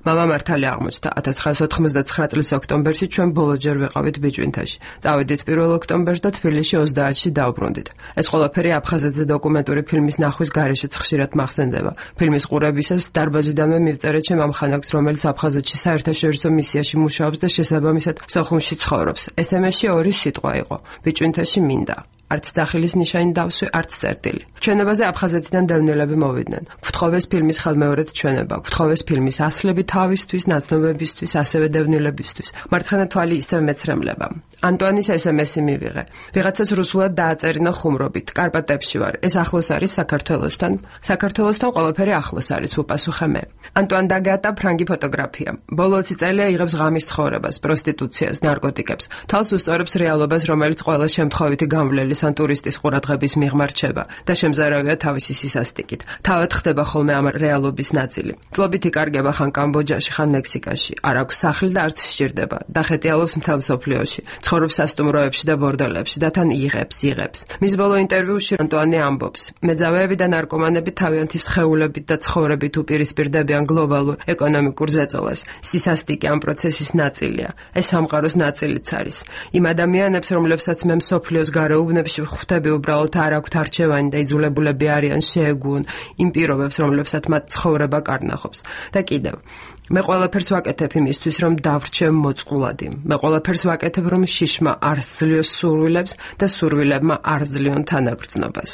მამა მართალი აღმოჩნდა. ათას ცხრაასი ოთხმოცდაცხრა წლის ოქტომბერში ჩვენ ბოლოჯერ ვეყავით ბიჭვინთაში. წავედით პირველ ოქტომბერს და თბილისში ოცდაათში დავბრუნდით. ეს ყველაფერი აფხაზეთზე დოკუმენტური ფილმის ნახვის გარეშეც ხშირად მახსენდება. ფილმის ყურებისას დარბაზიდანვე მივწერე ჩემ ამ ხანაკს, რომელიც აფხაზეთში საერთაშორისო მისიაში მუშაობს და შესაბამისად სოხუმში ცხოვრობს. ესემესში ორი სიტყვა იყო. ბიჭვინთაში მინდა. არც სახლის ნიშანი დავსვი, არც წერტილი. ჩვენებაზე აფხაზეთიდან დევნილები მოვიდნენ. გვთხოვეს ფილმის ხელმეორედ ჩვენება, გვთხოვეს ფილმის ასლები თავისთვის, ნაცნობებისთვის, ასევე დევნილებისთვის. მარცხენა თვალი ისევ მეცრემლება. ანტუანის ესემესი მივიღე. ვიღაცას რუსულად დააწერინა ხუმრობით. კარპატებში ვარ. ეს ახლოს არის საქართველოსთან. საქართველოსთან ყველაფერი ახლოს არის, უპასუხე მე. ანტუან დაგატა ფრანგი ფოტოგრაფია. ბოლო ოცი წელია იღებს ღამის ცხოვრებას, პროსტიტუციას, ნარკოტიკებს. თავს უსწორებს რეალობას, რომელიც ყველა შემთხვევითი გამვლელის ან ტურისტის ყურადღების მიღმა რჩება და შემზარავია თავისი სისასტიკით. თავად ხდება ხოლმე ამ რეალობის ნაწილი. წლობით იკარგება ხან კამბოჯაში, ხან მექსიკაში. არ აქვს სახლი და არც სჭირდება. დახეტიალობს მთელ მსოფლიოში. ცხოვრობს სასტუმროებში და ბორდელებში და თან იღებს, იღებს. მის ბოლო ინტერვიუში ანტუანი ამბობს: მეძავეები და ნარკომანები თავიანთი სხეულებით და ცხოვრებით უპირისპირდებიან გლობალურ ეკონომიკურ ზეწოლას. სისასტიკე ამ პროცესის ნაწილია. ეს სამყაროს ნაწილიც არის. იმ ადამიანებს, რომლებსაც მე მსოფლიოს გარეუბნებში ხვდები, უბრალოდ არ აქვთ არჩევანი და იძულებულები არიან შეეგუონ იმ პირობებს, რომლებსაც მათ ცხოვრება კარნახობს. და კიდევ მე ყველაფერს ვაკეთებ იმისთვის, რომ დავრჩე მოწყვლადი. მე ყველაფერს ვაკეთებ, რომ შიშმა არ სძლიოს სურვილებს და სურვილებმა არ ზლიონ თანაგრძნობას.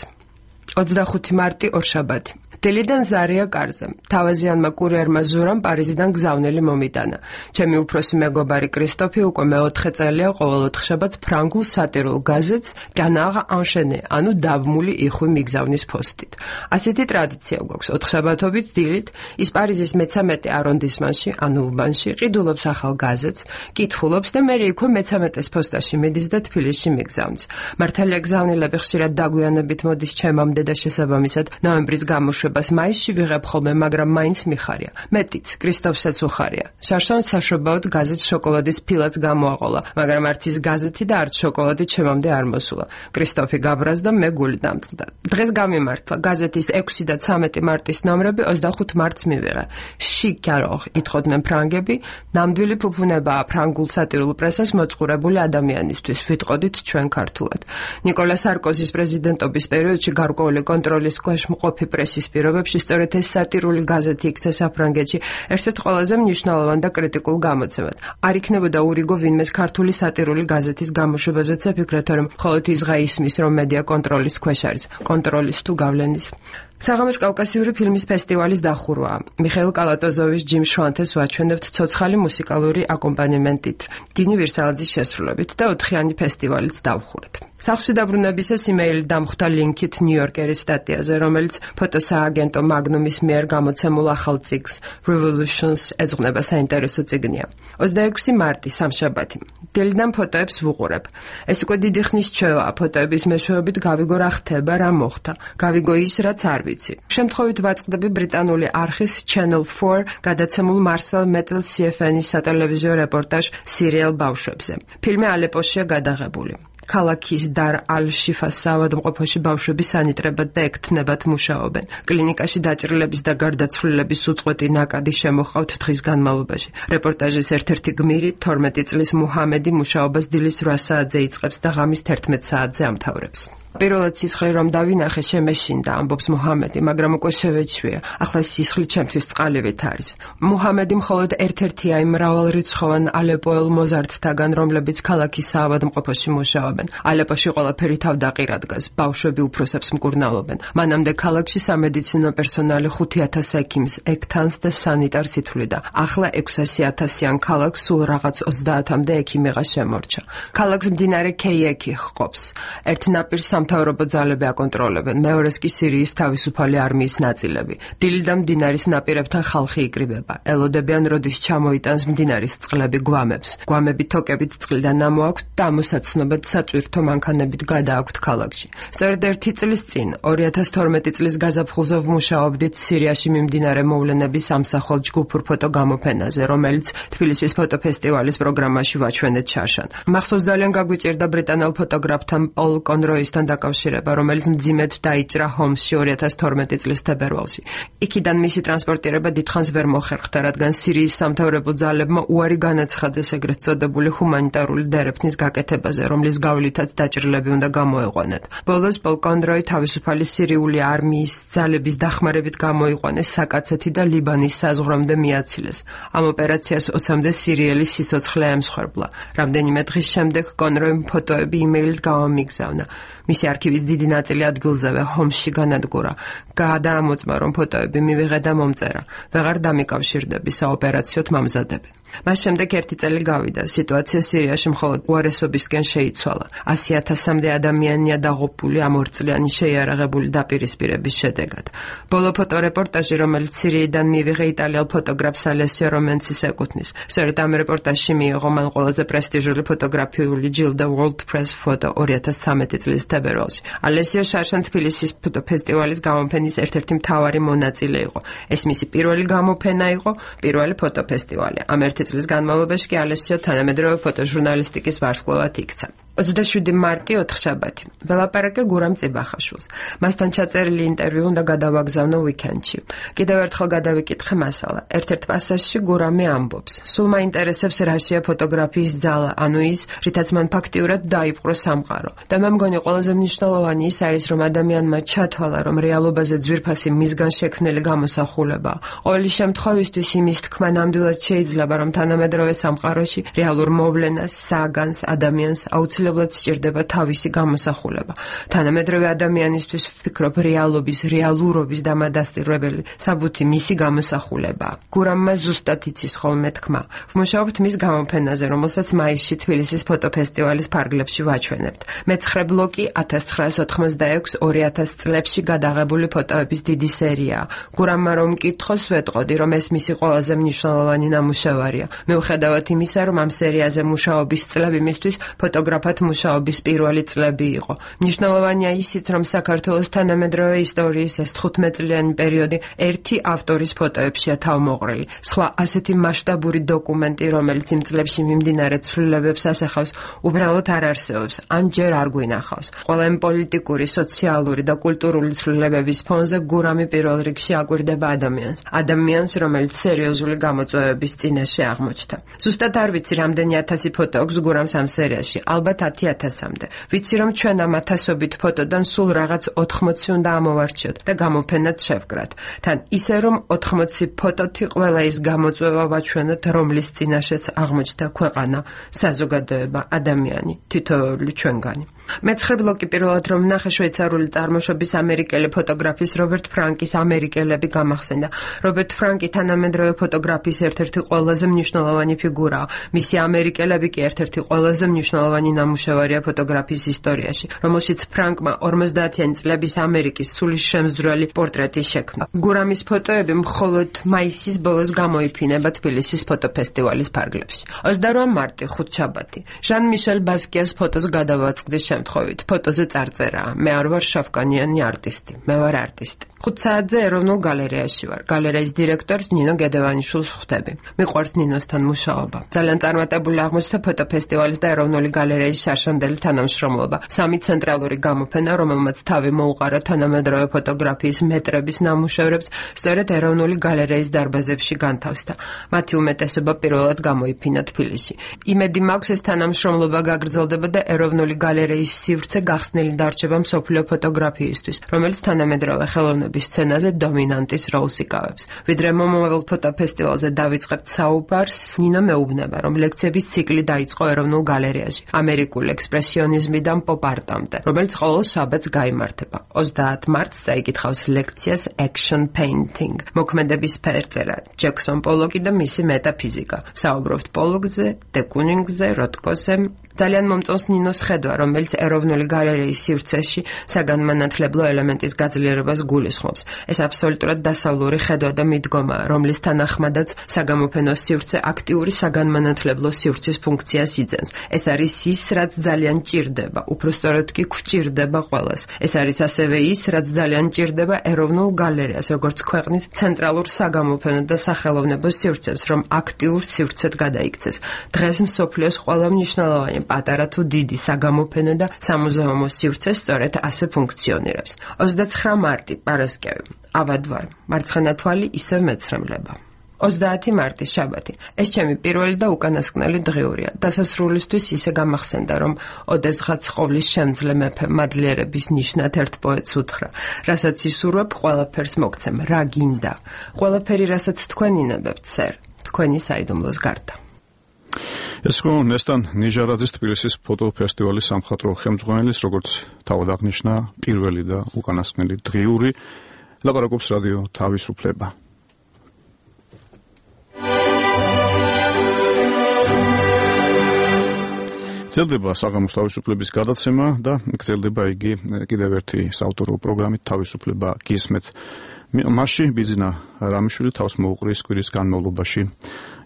ოცდახუთი მარტი ორშაბათი. დელიდან ზარია კარზე. თავაზიანმა კურიერმა ზურამ პარიზიდან გზავნილი მომიტანა. ჩემი უფროსი მეგობარი კრისტოფი უკვე მეოთხე წელია ყოველ ოთხშაბათს ფრანგულ სატირულ გაზეთს Canard enchaîné, ანუ დაბმული იხვი მიგზავნის ფოსტით. ასეთი ტრადიცია გვაქვს. ოთხშაბათობით დილით ის პარიზის მეცამეტე არონდისმანში, ანუ უბანში, ყიდულობს ახალ გაზეთს, კითხულობს და მერე იქვე მეცამეტეს პოსტაში მიდის და თბილისში მიგზავნის. მართალია გზავნილები ხშირად დაგვიანებით მოდის ჩემამდე და შესაბამისად ნოემბრის გამოშვება მაისში ვიღებ ხოლმე, მაგრამ მაინც მიხარია. მეტიც, კრისტოფსაც უხარია. შარშან საშობაოდ გაზეთ შოკოლადის ფილაც გამოაყოლა, მაგრამ არც ის გაზეთი და არც შოკოლადი ჩემამდე არ მოსულა. კრისტოფი გაბრაზდა, მე გული დამწყდა. დღეს გამიმართლა გაზეთის ექვსი და ცამეტი მარტის ნომრები ოცდახუთ მარტს მივიღე. შიკაროხ ითხოვდნენ ფრანგები, ნამდვილი ფუფუნებაა ფრანგულ სატირულ პრესას მოწყურებული ადამიანისთვის, ვიტყოდით ჩვენ ქართულად. ნიკოლა სარკოზის პრეზიდენტობის პერიოდში გარკვეული კონტროლის ქვეშ მყოფი პრესის პირობებში სწორედ ეს სატირული გაზეთი იქცა საფრანგეთში ერთ-ერთ ყველაზე მნიშვნელოვან და კრიტიკულ გამოცემად. არ იქნებოდა ურიგო ვინმეს ქართული სატირული გაზეთის გამოშვებაზეც აფიქრეთ, რომ მხოლოდ ის ღა ისმის, რომ მედია კონტროლის ქვეშ არის, კონტროლის თუ გავლენის. საღამოს კავკასიური ფილმის ფესტივალის დახურვაა. მიხეილ კალატოზოვის ჯიმ შვანთეს ვაჩვენებთ ცოცხალი მუსიკალური აკომპანიმენტით, დინი ვირსალაძის შესრულებით და ოთხიანი ფესტივალიც დავხურეთ. სახლში დაბრუნებისას იმეილი დამხვდა ლინკით ნიუ-იორკერის სტატიაზე, რომელიც ფოტოსააგენტო მაგნუმის მიერ გამოცემულ ახალ წიგნს Revolutions ეძღვნება საინტერესო წიგნია. ოცდაექვსი მარტი სამშაბათი. დილიდან ფოტოებს ვუყურებ. ეს უკვე დიდი ხნის ჩვევაა, ფოტოების მეშვეობით გავიგო რა ხდება, რა მოხდა. გავიგო ის, რაც არ ვიცი. შემთხვევით ვაწყდები ბრიტანული არხის Channel four გადაცემულ Marcel Metel C F N-ის სატელევიზიო რეპორტაჟ სერიალ ბავშვებზე. ფილმი ალეპოშია გადაღებული. ქალაქის დარ ალ-შიფას საავადმყოფოში ბავშვები სანიტრებად და ექთნებად მუშაობენ. კლინიკაში დაჭრილების და გარდაცვლილების უწყვეტი ნაკადი შემოჰყავთ დღის განმავლობაში. რეპორტაჟის ერთ-ერთი გმირი თორმეტი წლის მუჰამედი მუშაობას დილის რვა საათზე იწყებს და ღამის თერთმეტ საათზე ამთავრებს. პირველად სისხლი რომ დავინახე, შემეშინდა, ამბობს მუჰამედი, მაგრამ უკვე შევეჩვია. ახლა სისხლი ჩემთვის წყალივით არის. მუჰამედი მხოლოდ ერთ-ერთია იმ მრავალრიცხოვან ალეპოელ მოზარდთაგან, რომლებიც ქალაქის საავადმყოფოში მუშაობენ. ალეპოში ყველაფერი თავდაყირ ადგას, ბავშვები უფროსებს მკურნალობენ. მანამდე ქალაქში სამედიცინო პერსონალი ხუთი ათას ექიმს, ექთანს და სანიტარს ითვლიდა. ახლა ექვსასი ათასიან ქალაქს სულ რაღაც ოცდაათამდე ექიმიღა შემორჩა. ქალაქს მდინარე ქეიექი ჰყოფს. ერთ ნაპირს სამთავრობო ძალები აკონტროლებენ, მეორეს კი სირიის თავისუფალი არმიის ნაწილები. დილიდან მდინარის ნაპირებთან ხალხი იკრიბება. ელოდებიან, როდის ჩამოიტანს მდინარის წყლები გვამებს. გვამები თოკებით წყლიდან ამოაქვთ და ამოსაცნობად საწვირთო მანქანებით გადააქვთ ქალაქში. სწორედ ერთი წლის წინ, ორი ათას თორმეტი წლის გაზაფხულზე ვმუშაობდით სირიაში მიმდინარე მოვლენების სამსახურ ჯგუფურ ფოტო გამოფენაზე, რომელიც თბილისის ფოტოფესტივალის პროგრამაში ვაჩვენეთ შარშან. მახსოვს ძალიან გაგვიჭირდა ბრიტანელ ფოტოგრაფთან პოლ კონროისთან დაკავშირება, რომელიც მძიმედ დაიჭრა ჰომსში ორი ათას თორმეტი წლის თებერვალში. იქიდან მისი ტრანსპორტირება დიდხანს ვერ მოხერხდა, რადგან სირიის სამთავრობო ძალებმა უარი განაცხადეს ეგრეთ წოდებული ჰუმანიტარული დერეფნის გაკეთებაზე, რომლის გავლითაც დაჭრილები უნდა გამოეყვანათ. ბოლოს პოლ კონროი თავისუფალი სირიული არმიის ძალების დახმარებით გამოიყვანეს საკაცეთი და ლიბანის საზღვრამდე მიაცილეს. ამ ოპერაციას ოცამდე სირიელი სიცოცხლე ემსხვერპლა. რამდენიმე დღის შემდეგ კონროიმ ფოტოები იმეილით გამომიგზავნა. მისი არქივის დიდი ნაწილი ადგილზევე ჰომსში განადგურა. გადაამოწმა, რომ ფოტოები მივიღე და მომწერა. ვეღარ დამიკავშირდები, საოპერაციოდ მამზადები. მას შემდეგ ერთი წელი გავიდა, სიტუაცია სირიაში მხოლოდ უარესობისკენ შეიცვალა. ასი ათასამდე ადამიანია დაღუპული ამ ორწლიანი შეიარაღებული დაპირისპირების შედეგად. ბოლო ფოტორეპორტაჟი, რომელიც სირიიდან მივიღე იტალიელ ფოტოგრაფს ალესიო რომენცის ეკუთვნის. სწორედ ამ რეპორტაჟში მიიღო მან ყველაზე პრესტიჟული ფოტოგრაფიული ჯილდო World Press Photo ორი ათას ცხრამეტი წლის თებერვალში. ალესიო შარშან თბილისის ფოტოფესტივალის გამოფენის ერთ-ერთი მთავარი მონაწილე იყო. ეს მისი პირველი გამოფენა იყო, პირველი ფოტოფესტივალი. ამ ერთი წლის განმავლობაში კი ალესიო თანამედროვე ფოტოჟურნალისტიკის ვარსკვლავად იქცა. ოცდაშვიდი მარტი ოთხშაბათი. ველაპარაკე გურამ წიბახაშვილს. მასთან ჩაწერილი ინტერვიუ უნდა გადავაგზავნო ვიკენდში. კიდევ ერთხელ გადავიკითხე მასალა. ერთ-ერთ პასაჟში გურამი ამბობს: სულ მაინტერესებს რაშია ფოტოგრაფიის ძალა, ანუ ის, რითაც მან ფაქტიურად დაიპყრო სამყარო. და მე მგონი ყველაზე მნიშვნელოვანი ის არის, რომ ადამიანმა ჩათვალა, რომ რეალობაზე ძვირფასი მისგან შექმნილი გამოსახულება. ყოველი შემთხვევისთვის იმის თქმა ნამდვილად შეიძლება, რომ თანამედროვე სამყაროში რეალურ მოვლენას, საგანს, ადამიანს აუცილებლად სჭირდება თავისი გამოსახულება. თანამედროვე ადამიანისთვის ვფიქრობ, რეალობის, რეალურობის დამადასტურებელი საბუთი მისი გამოსახულებაა. გურამმა ზუსტად იცის ხოლმე თქმა. ვმუშაობთ მის გამოფენაზე, რომელსაც მაისში თბილისის ფოტოფესტივალის ფარგლებში ვაჩვენებთ. მეცხრე ბლოკი ათას ცხრაას ოთხმოცდაექვსი ორი ათას წლებში გადაღებული ფოტოების დიდი სერიაა. გურამმა რომ მკითხოს, ვეტყოდი, რომ ეს მისი ყველაზე მნიშვნელოვანი ნამუშევარია. მიუხედავად იმისა, რომ ამ სერიაზე მუშაობის წლები მისთვის ფოტოგრაფად მუშაობის პირველი წლები იყო. მნიშვნელოვანია ისიც, რომ საქართველოს თანამედროვე ისტორიის ეს თხუთმეტწლიანი პერიოდი ერთი ავტორის ფოტოებშია თავმოყრილი. სხვა ასეთი მასშტაბური დოკუმენტი, რომელიც იმ წლებში მიმდინარე ცვლილებებს ასახავს, უბრალოდ არ არსებობს, ან ჯერ არ გვინახავს. ყველა იმ პოლიტიკური, სოციალური და კულტურული ცვლილებების ფონზე გურამი პირველ რიგში აკვირდება ადამიანს. ადამიანს, რომელიც სერიოზული გამოწვევების წინაშე აღმოჩნდა. ზუსტად არ ვიცი, რამდენი ათასი ფოტო აქვს გურამს ამ სერიაში. ალბათ ათი ათასამდე. ვიცი, რომ ჩვენ ამ ათასობით ფოტოდან სულ რაღაც ოთხმოცი უნდა ამოვარჩიოთ და გამოფენად შევკრათ. თან ისე, რომ ოთხმოცი ფოტოთი ყველა ის გამოწვევა ვაჩვენოთ, რომლის წინაშეც აღმოჩნდა ქვეყანა, საზოგადოება, ადამიანი, თითოეული ჩვენგანი. მეცხრე ბლოკი პირველად რომ ნახე შვეიცარიული წარმოშობის ამერიკელი ფოტოგრაფის რობერტ ფრანკის ამერიკელები გამახსენდა. რობერტ ფრანკი თანამედროვე ფოტოგრაფიის ერთ-ერთი ყველაზე მნიშვნელოვანი ფიგურაა. მისი ამერიკელები კი ერთ-ერთი ყველაზე მნიშვნელოვანი ნამუშევარია ფოტოგრაფიის ისტორიაში, რომელშიც ფრანკმა ორმოცდაათიანი წლების ამერიკის სულისშემძვრელი პორტრეტი შექმნა. გურამის ფოტოები მხოლოდ მაისის ბოლოს გამოიფინება თბილისის ფოტოფესტივალის ფარგლებში. ოცდაოთხ მარტი ხუთშაბათი. ჟან მიშელ ბასკიას ფოტოს გადავაწყდი შემთხვევით. ფოტოზე წარწერაა: მე არ ვარ შავკანიანი არტისტი, მე ვარ არტისტი. ხუთ საათზე ეროვნულ გალერეაში ვარ. გალერეის დირექტორს ნინო გედევანიშვილს ხვდები. მიყვარს ნინოსთან მუშაობა. ძალიან წარმატებული აღმოჩნდა ფოტოფესტივალის და ეროვნული გალერეის შარშანდელი თანამშრომლობა. სამი ცენტრალური გამოფენა, რომელმაც თავი მოუყარა თანამედროვე ფოტოგრაფიის მეტრების ნამუშევრებს, სწორედ ეროვნული გალერეის დარბაზებში განთავსდა. მათი უმეტესობა პირველად გამოიფინა თბილისში. იმედი მაქვს, ეს თანამშრომლობა გაგრძელდება და ეროვნული გალერეის სივრცე გახსნილი დარჩება მსოფლიო ფოტოგრაფიისთვის, რომელიც თანამედროვე ხელოვნების სცენაზე დომინანტის როლს იკავებს. ვიდრე მომავალ ფოტოფესტივალზე დავიწყებთ საუბარს, ნინო მეუბნება, რომ ლექციების ციკლი დაიწყო ეროვნულ გალერეაში, ამერიკულ ექსპრესიონიზმიდან პოპ-არტამდე, რომელიც ყოველ შაბათს გაიმართება. ოცდაათ მარტს წაიკითხავს ლექციას Action Painting, მოქმედების ფერწერა, ჯექსონ პოლოკი და მისი მეტაფიზიკა. საუბრობთ პოლოკზე, დე კუნინგზე, როტკოზე. ძალიან მომწონს ნინოს ხედვა, რომელიც ეროვნული გალერეის სივრცეში საგანმანათლებლო ელემენტის გაძლიერებას გულისხმობს. ეს აბსოლუტურად დასავლური ხედვა და მიდგომაა, რომლის თანახმადაც საგამოფენო სივრცე აქტიური საგანმანათლებლო სივრცის ფუნქციას იძენს. ეს არის ის, რაც ძალიან ჭირდება, უпростоროდ კი გვჭირდება ყველას. ეს არის ასევე ის, რაც ძალიან ჭირდება ეროვნულ გალერეას, როგორც ქვეყნის ცენტრალურ საგამოფენო და სახელოვნებო სივრცეს, რომ აქტიურ სივრცედ გადაიქცეს. დღეს მსოფლიოს ყველა მნიშვნელოვანი პატარა თუ დიდი საგამოფენო და სამუზეუმო სივრცე სწორედ ასე ფუნქციონირებს. ოცდაცხრა მარტი, პარასკევი. ავადვარ. მარცხენა თვალი ისევ მეცრემლება. ოცდაათი მარტი, შაბათი. ეს ჩემი პირველი და უკანასკნელი დღიურია. დასასრულისთვის ისე გამახსენდა, რომ ოდესღაც ყოვლის შემძლე მეფე მადლიერების ნიშნად ერთ პოეტს უთხრა: რასაც ისურვებ, ყველაფერს მოგცემ, რა გინდა. ყველაფერი, რასაც თქვენ ინებებთ, სერ, თქვენი საიდუმლოს გარდა. ეს ხო ნესტან ნიჟარაძის თბილისის ფოტოფესტივალის სამხატვრო ხელმძღვანელის, როგორც თავად აღნიშნა, პირველი და უკანასკნელი დღიური. ლაპარაკობს რადიო თავისუფლება. გრძელდება საღამოს თავისუფლების გადაცემა და გრძელდება იგი კიდევ ერთი საავტორო პროგრამით თავისუფლება გისმეთ. მასში ბიძინა რამიშვილი თავს მოუყრის კვირის განმავლობაში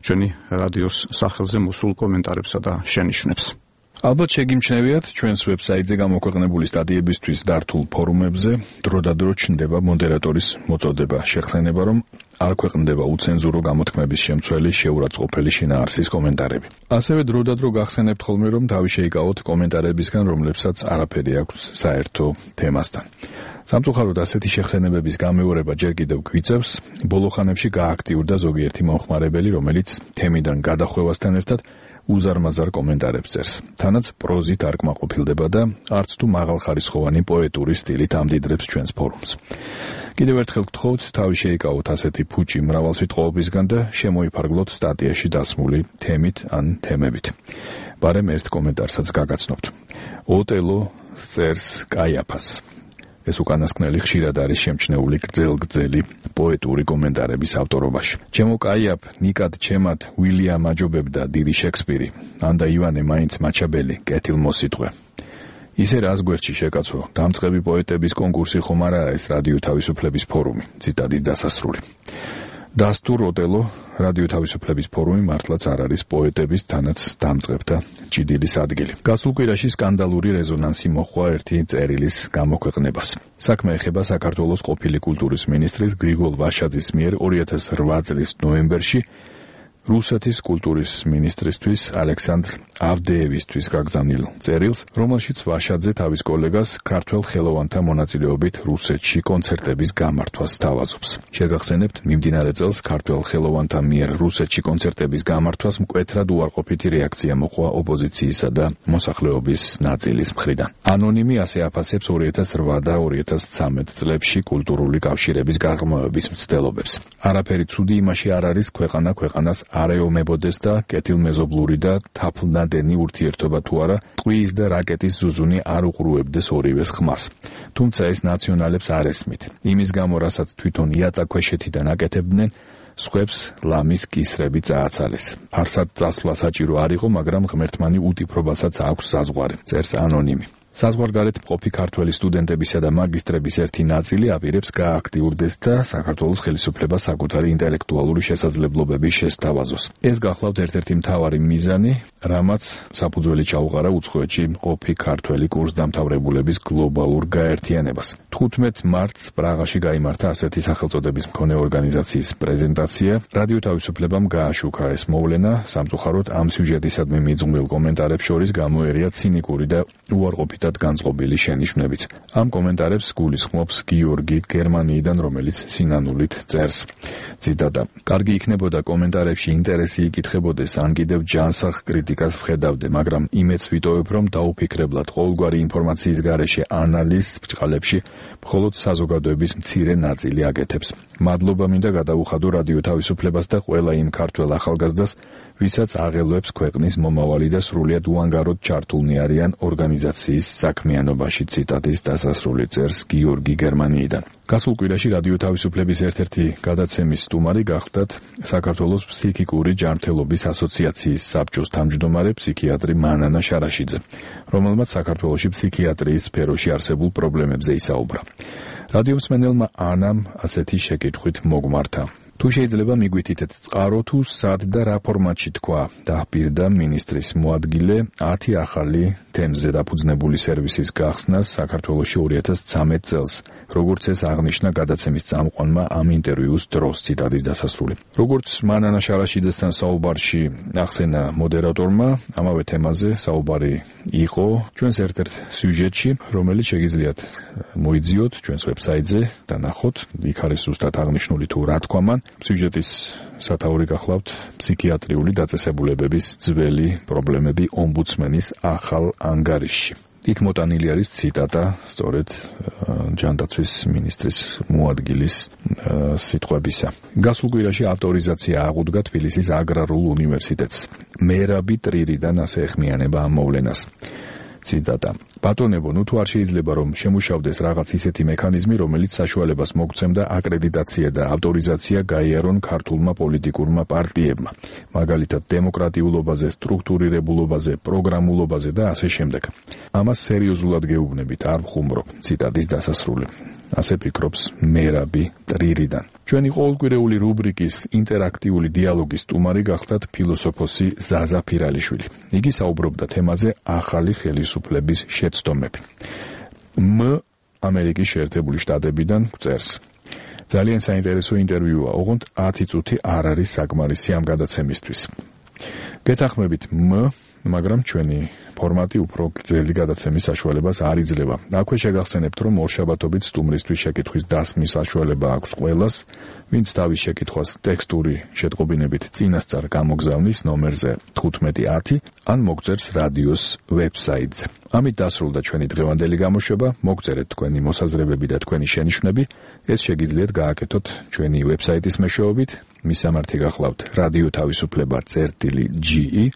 ჩვენი რადიოს სახელზე მოსულ კომენტარებსა და შენიშვნებს. ალბათ შეგიმჩნევიათ ჩვენს ვებსაიტზე გამოქვეყნებული სტატიებისთვის დართულ ფორუმებზე დროდადრო ჩნდება მოდერატორის მოწოდება, შეხსენება, რომ არ ქვეყნდება უცენზურო გამოთქმების შემცველი შეურაცხყოფელი შინაარსის კომენტარები. ასევე დროდადრო გახსენებთ ხოლმე, რომ თავი შეიკავოთ კომენტარებისგან, რომლებსაც არაფერი აქვს საერთო თემასთან. სამწუხაროდ ასეთი შეხსენებების გამეორება ჯერ კიდევ გვიწევს, ბოლო ხანებში გააქტიურდა ზოგიერთი მომხმარებელი, რომელიც თემიდან გადახვევასთან ერთად უზარმაზარ კომენტარებს წერს. თანაც პროზით არ კმაყოფილდება და არც თუ მაღალხარისხოვანი პოეტური სტილით ამდიდრებს ჩვენს ფორუმს. კიდევ ერთხელ გთხოვთ, თავი შეიკავოთ ასეთი ფუჭი მრავალსიტყვაობისგან და შემოიფარგლოთ სტატიაში დასმული თემით ან თემებით. ბარემ ერთ კომენტარსაც გაგაცნობთ. ოტელო წერს კაიაფას. ეს უკანასკნელი ხშირად არის შემჩნეული გრძელ-გრძელი პოეტური კომენტარების ავტორობაში. ჩემო კაიაფ, ნიკად ჩემად უილიამ აჯობებდა დიდი შექსპირი, ანდა ივანე მაინც მაჩაბელი, კეთილმოსიტყვე. ისე რას გვერდში შეკაცო, დამწყები პოეტების კონკურსი ხომ არაა ეს რადიო თავისუფლების ფორუმი, ციტატის დასასრული. დასტურ ოტელო, რადიო თავისუფლების ფორუმი მართლაც არ არის პოეტების, თანაც დამწყებთა ჭიდილის ადგილი. გასულ კვირაში სკანდალური რეზონანსი მოჰყვა ერთი წერილის გამოქვეყნებას. საქმე ეხება საქართველოს ყოფილი კულტურის მინისტრის გრიგოლ ვაშაძის მიერ ორი ათას რვა წლის ნოემბერში რუსეთის კულტურის მინისტრისთვის ალექსანდრ ავდეევისთვის გაგზავნილ წერილს, რომელშიც ვაშაძე თავის კოლეგას ქართველ ხელოვანთა მონაწილეობით რუსეთში კონცერტების გამართვას სთავაზობს. შეგახსენებთ, მიმდინარე წელს ქართველ ხელოვანთა მიერ რუსეთში კონცერტების გამართვას მკვეთრად უარყოფითი რეაქცია მოჰყვა ოპოზიციისა და მოსახლეობის ნაწილის მხრიდან. ანონიმი ასე აფასებს ორი ათას რვა და ორი ათას ცხრამეტ წლებში კულტურული კავშირების გაღრმავების მცდელობებს. არაფერი ცუდი იმაში არ არის ქვეყანა ქვეყანას არეომებოდეს და კეთილმეზობლური და თაფლნადენი ურთიერთობა თუ არა, ტყუის და რაკეტის ზუზუნი არ უყურუებდეს ორივეს ხმას. თუმცა ეს ნაციონალებს არ ესმით. იმის გამო, რასაც თვითონ იატაკქვეშეთიდან აკეთებდნენ, სხვებს ლამის კისრები წააცალეს. არსად წასვლა საჭირო არ იყო, მაგრამ ღმერთმანი უტიფრობასაც აქვს საზღვარი, წერს ანონიმი. საზღვარგარეთ მყოფი ქართველი სტუდენტებისა და მაგისტრების ერთი ნაწილი აპირებს გააქტიურდეს და საქართველოს ხელისუფლება საკუთარი ინტელექტუალური შესაძლებლობების შესთავაზოს. ეს გახლავთ ერთ-ერთი მთავარი მიზანი, რამაც საფუძველი ჩაუყარა უცხოეთში მყოფი ქართველი კურსდამთავრებულების გლობალურ გაერთიანებას. თხუთმეტ მარტს პრაღაში გაიმართა ასეთი სახელწოდების მქონე ორგანიზაციის პრეზენტაცია. რადიო თავისუფლებამ გააშუქა ეს მოვლენა, სამწუხაროდ ამ სიუჟეტისადმი მიძღვნილ კომენტარებს შორის გამოერია ცინიკური და უარყოფითი განწყობილი შენიშვნებიც. ამ კომენტარებს გულისხმობს გიორგი გერმანიიდან, რომელიც სინანულით წერს. ციტატა: კარგი იქნებოდა კომენტარებში ინტერესი იკითხებოდეს, ან კიდევ ჯანსაღ კრიტიკას ვხედავდე, მაგრამ იმედს ვიტოვებ, რომ დაუფიქრებლად ყოველგვარი ინფორმაციის გარეშე ანალიზს ბრჭყალებში მხოლოდ საზოგადოების მცირე ნაწილი აკეთებს. მადლობა მინდა გადაუხადო რადიო თავისუფლებას და ყველა იმ ქართველ ახალგაზრდას, ვისაც აღელვებს ქვეყნის მომავალი და სრულიად უანგაროდ ჩართულნი არიან ორგანიზაციის საქმიანობაში, ციტატის დასასრული, წერს გიორგი გერმანიიდან. გასულ კვირაში რადიო თავისუფლების ერთ-ერთი გადაცემის სტუმარი გახდათ საქართველოს ფსიქიკური ჯანმრთელობის ასოციაციის საბჭოს თავმჯდომარე ფსიქიატრი მანანა შარაშიძე, რომელმაც საქართველოში ფსიქიატრიის სფეროში არსებულ პრობლემებზე ისაუბრა. რადიომსმენელმა ანამ ასეთი შეკითხვით მოგმართა: თუ შეიძლება მიგვითითეთ წყარო თუ სად და რა ფორმატში თქვა, დაჰპირდა მინისტრის მოადგილე ათი ახალი თემზე დაფუძნებული სერვისის გახსნას საქართველოში ორი ათას ცხრამეტ წელს, როგორც ეს აღნიშნა გადაცემის წამყვანმა ამ ინტერვიუს დროს, ციტატის დასასრული. როგორც მანანა შარაშიძესთან საუბარში ახსენა მოდერატორმა, ამავე თემაზე საუბარი იყო ჩვენს ერთ-ერთ სიუჟეტში, რომელიც შეგიძლიათ მოიძიოთ ჩვენს ვებსაიტზე და ნახოთ, იქ არის ზუსტად აღნიშნული თუ რა თქვა მან. სიუჟეტის სათაური გახლავთ ფსიქიატრიული დაწესებულებების ძველი პრობლემები ომბუდსმენის ახალ ანგარიშში. იქ მოტანილი არის ციტატა სწორედ ჯანდაცვის მინისტრის მოადგილის სიტყვებისა. გასულ კვირაში ავტორიზაცია აღუდგა თბილისის აგრარულ უნივერსიტეტს. მერაბი ტრირიდან ასე ეხმიანება ამ მოვლენას. ციტატა. ბატონებო, ნუ თუ არ შეიძლება რომ შემუშავდეს რაღაც ისეთი მექანიზმი, რომელიც საშუალებას მოგცემდა აკრედიტაცია და ავტორიზაცია გაიარონ ქართულმა პოლიტიკურმა პარტიებმა, მაგალითად დემოკრატიულობაზე, სტრუქტურირებულობაზე, პროგრამულობაზე და ასე შემდეგ. ამას სერიოზულად გეუბნებით, არ ვხუმრობ. ციტატის დასასრული. ასე ფიქრობს მერაბი ტრირიდან. ჩვენი ყოველკვირეული რუბრიკის ინტერაქტიული დიალოგის სტუმარი გახლდათ ფილოსოფოსი ზაზა ფირალიშვილი. იგი საუბრობდა თემაზე ახალი ხელისუფლების შეცდომები. მ ამერიკის შეერთებული შტატებიდან გვწერს. ძალიან საინტერესო ინტერვიუა, ოღონდ ათი წუთი არ არის საკმარისი ამ გადაცემისთვის. გეთანხმებით მ მაგრამ ჩვენი ფორმატი უფრო გრძელი გადაცემის საშუალებას არ იძლევა. აქვე შეგახსენებთ, რომ ორშაბათობით სტუმრისთვის შეკითხვის დასმის საშუალება აქვს ყველას, ვინც თავის შეკითხვას ტექსტური შეტყობინებით წინასწარ გამოგზავნის ნომერზე თხუთმეტი ათი ან მოგწერს რადიოს ვებსაიტზე. ამით დასრულდა ჩვენი დღევანდელი გამოშვება. მოგწერეთ თქვენი მოსაზრებები და თქვენი შენიშვნები. ეს შეგიძლიათ გააკეთოთ ჩვენი ვებსაიტის მეშვეობით. მისამართი გახლავთ რადიო თავისუფლება წერტილი ჯი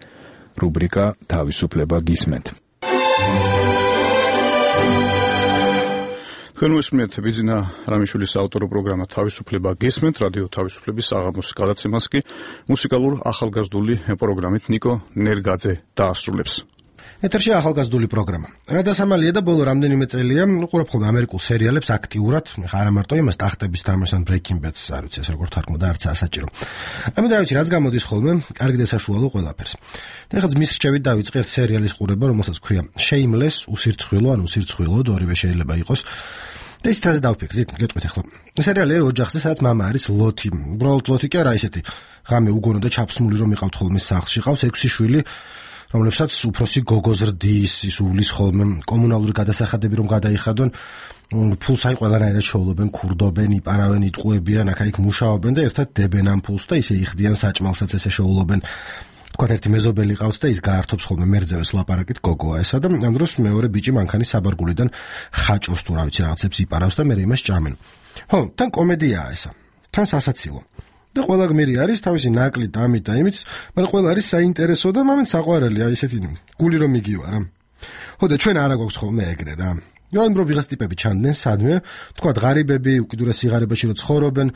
რუბრიკა თავისუფლება გისმენთ. თქვენ უსმენთ ბიზნა რამიშვილის ავტორო პროგრამა თავისუფლება გისმენთ, რადიო თავისუფლების საღამოს გადაცემას კი მუსიკალურ ახალგაზრდული პროგრამით ნიკო ნერგაძე დაასრულებს. ეთერში ახალგაზრდული პროგრამა. რადასამალია და ბოლო რამდენიმე წელია უყურებ ხოლმე ამერიკულ სერიალებს აქტიურად, არა მარტო იმას ტახტების თამაშს ან Breaking Bad-ს, არ ვიცი ეს როგორ თარგმნო და არც ასაჭირო. ამიტომ რა ვიცი, რაც გამოდის ხოლმე, კარგი და საშუალო ყველაფერს. და ეხლა ძმის რჩევით დავიწყე ერთ სერიალის ყურება, რომელსაც ქვია Shameless, უსირცხვილო, ან უსირცხვილო, ორივე შეიძლება იყოს. და ის თაზე დავფიქრდით, გეტყვით ახლა. სერიალი ოჯახზე, სადაც მამა არის ლოთი. უბრალოდ ლოთი კი არა, ისეთი ღამე უგონო და ჩაფსმული რომ იყავთ ხოლმე სახლში, ყავს ექვსი შვილი, რომლებსაც უფროსი გოგო ზრდის, ის უვლის ხოლმე კომუნალური გადასახადები რომ გადაიხადონ, ფულს აი ყველანაირად შოულობენ, ქურდობენ, იპარავენ, იტყუებიან, აქ-იქ მუშაობენ და ერთად დებენ ამ ფულს და ისე იხდიან საჭმელსაც ესე შოულობენ. თქვათ ერთი მეზობელი ყავს და ის გაართობს ხოლმე მერძევეს ლაპარაკით გოგოა ესა და ამ დროს მეორე ბიჭი მანქანის საბარგულიდან ხაჭოს თუ რა ვიცი რაღაცებს იპარავს და მე იმას ჭამენ. ხო, თან კომედიაა ესა. თან სასაცილო. და ყველა გმირი არის თავისი ნაკლით ამით და იმით, მაგრამ ყველა არის საინტერესო და მომენტ საყვარელი, აი ესეთი გული რომ იგივა რა. ხო და ჩვენ არა გვაქვს ხოლმე ეგრე რა. რომ რო ვიღაც ტიპები ჩანდნენ სადმე, თქვათ ღარიბები, უკიდურეს სიღარიბეში რო ცხოვრობენ,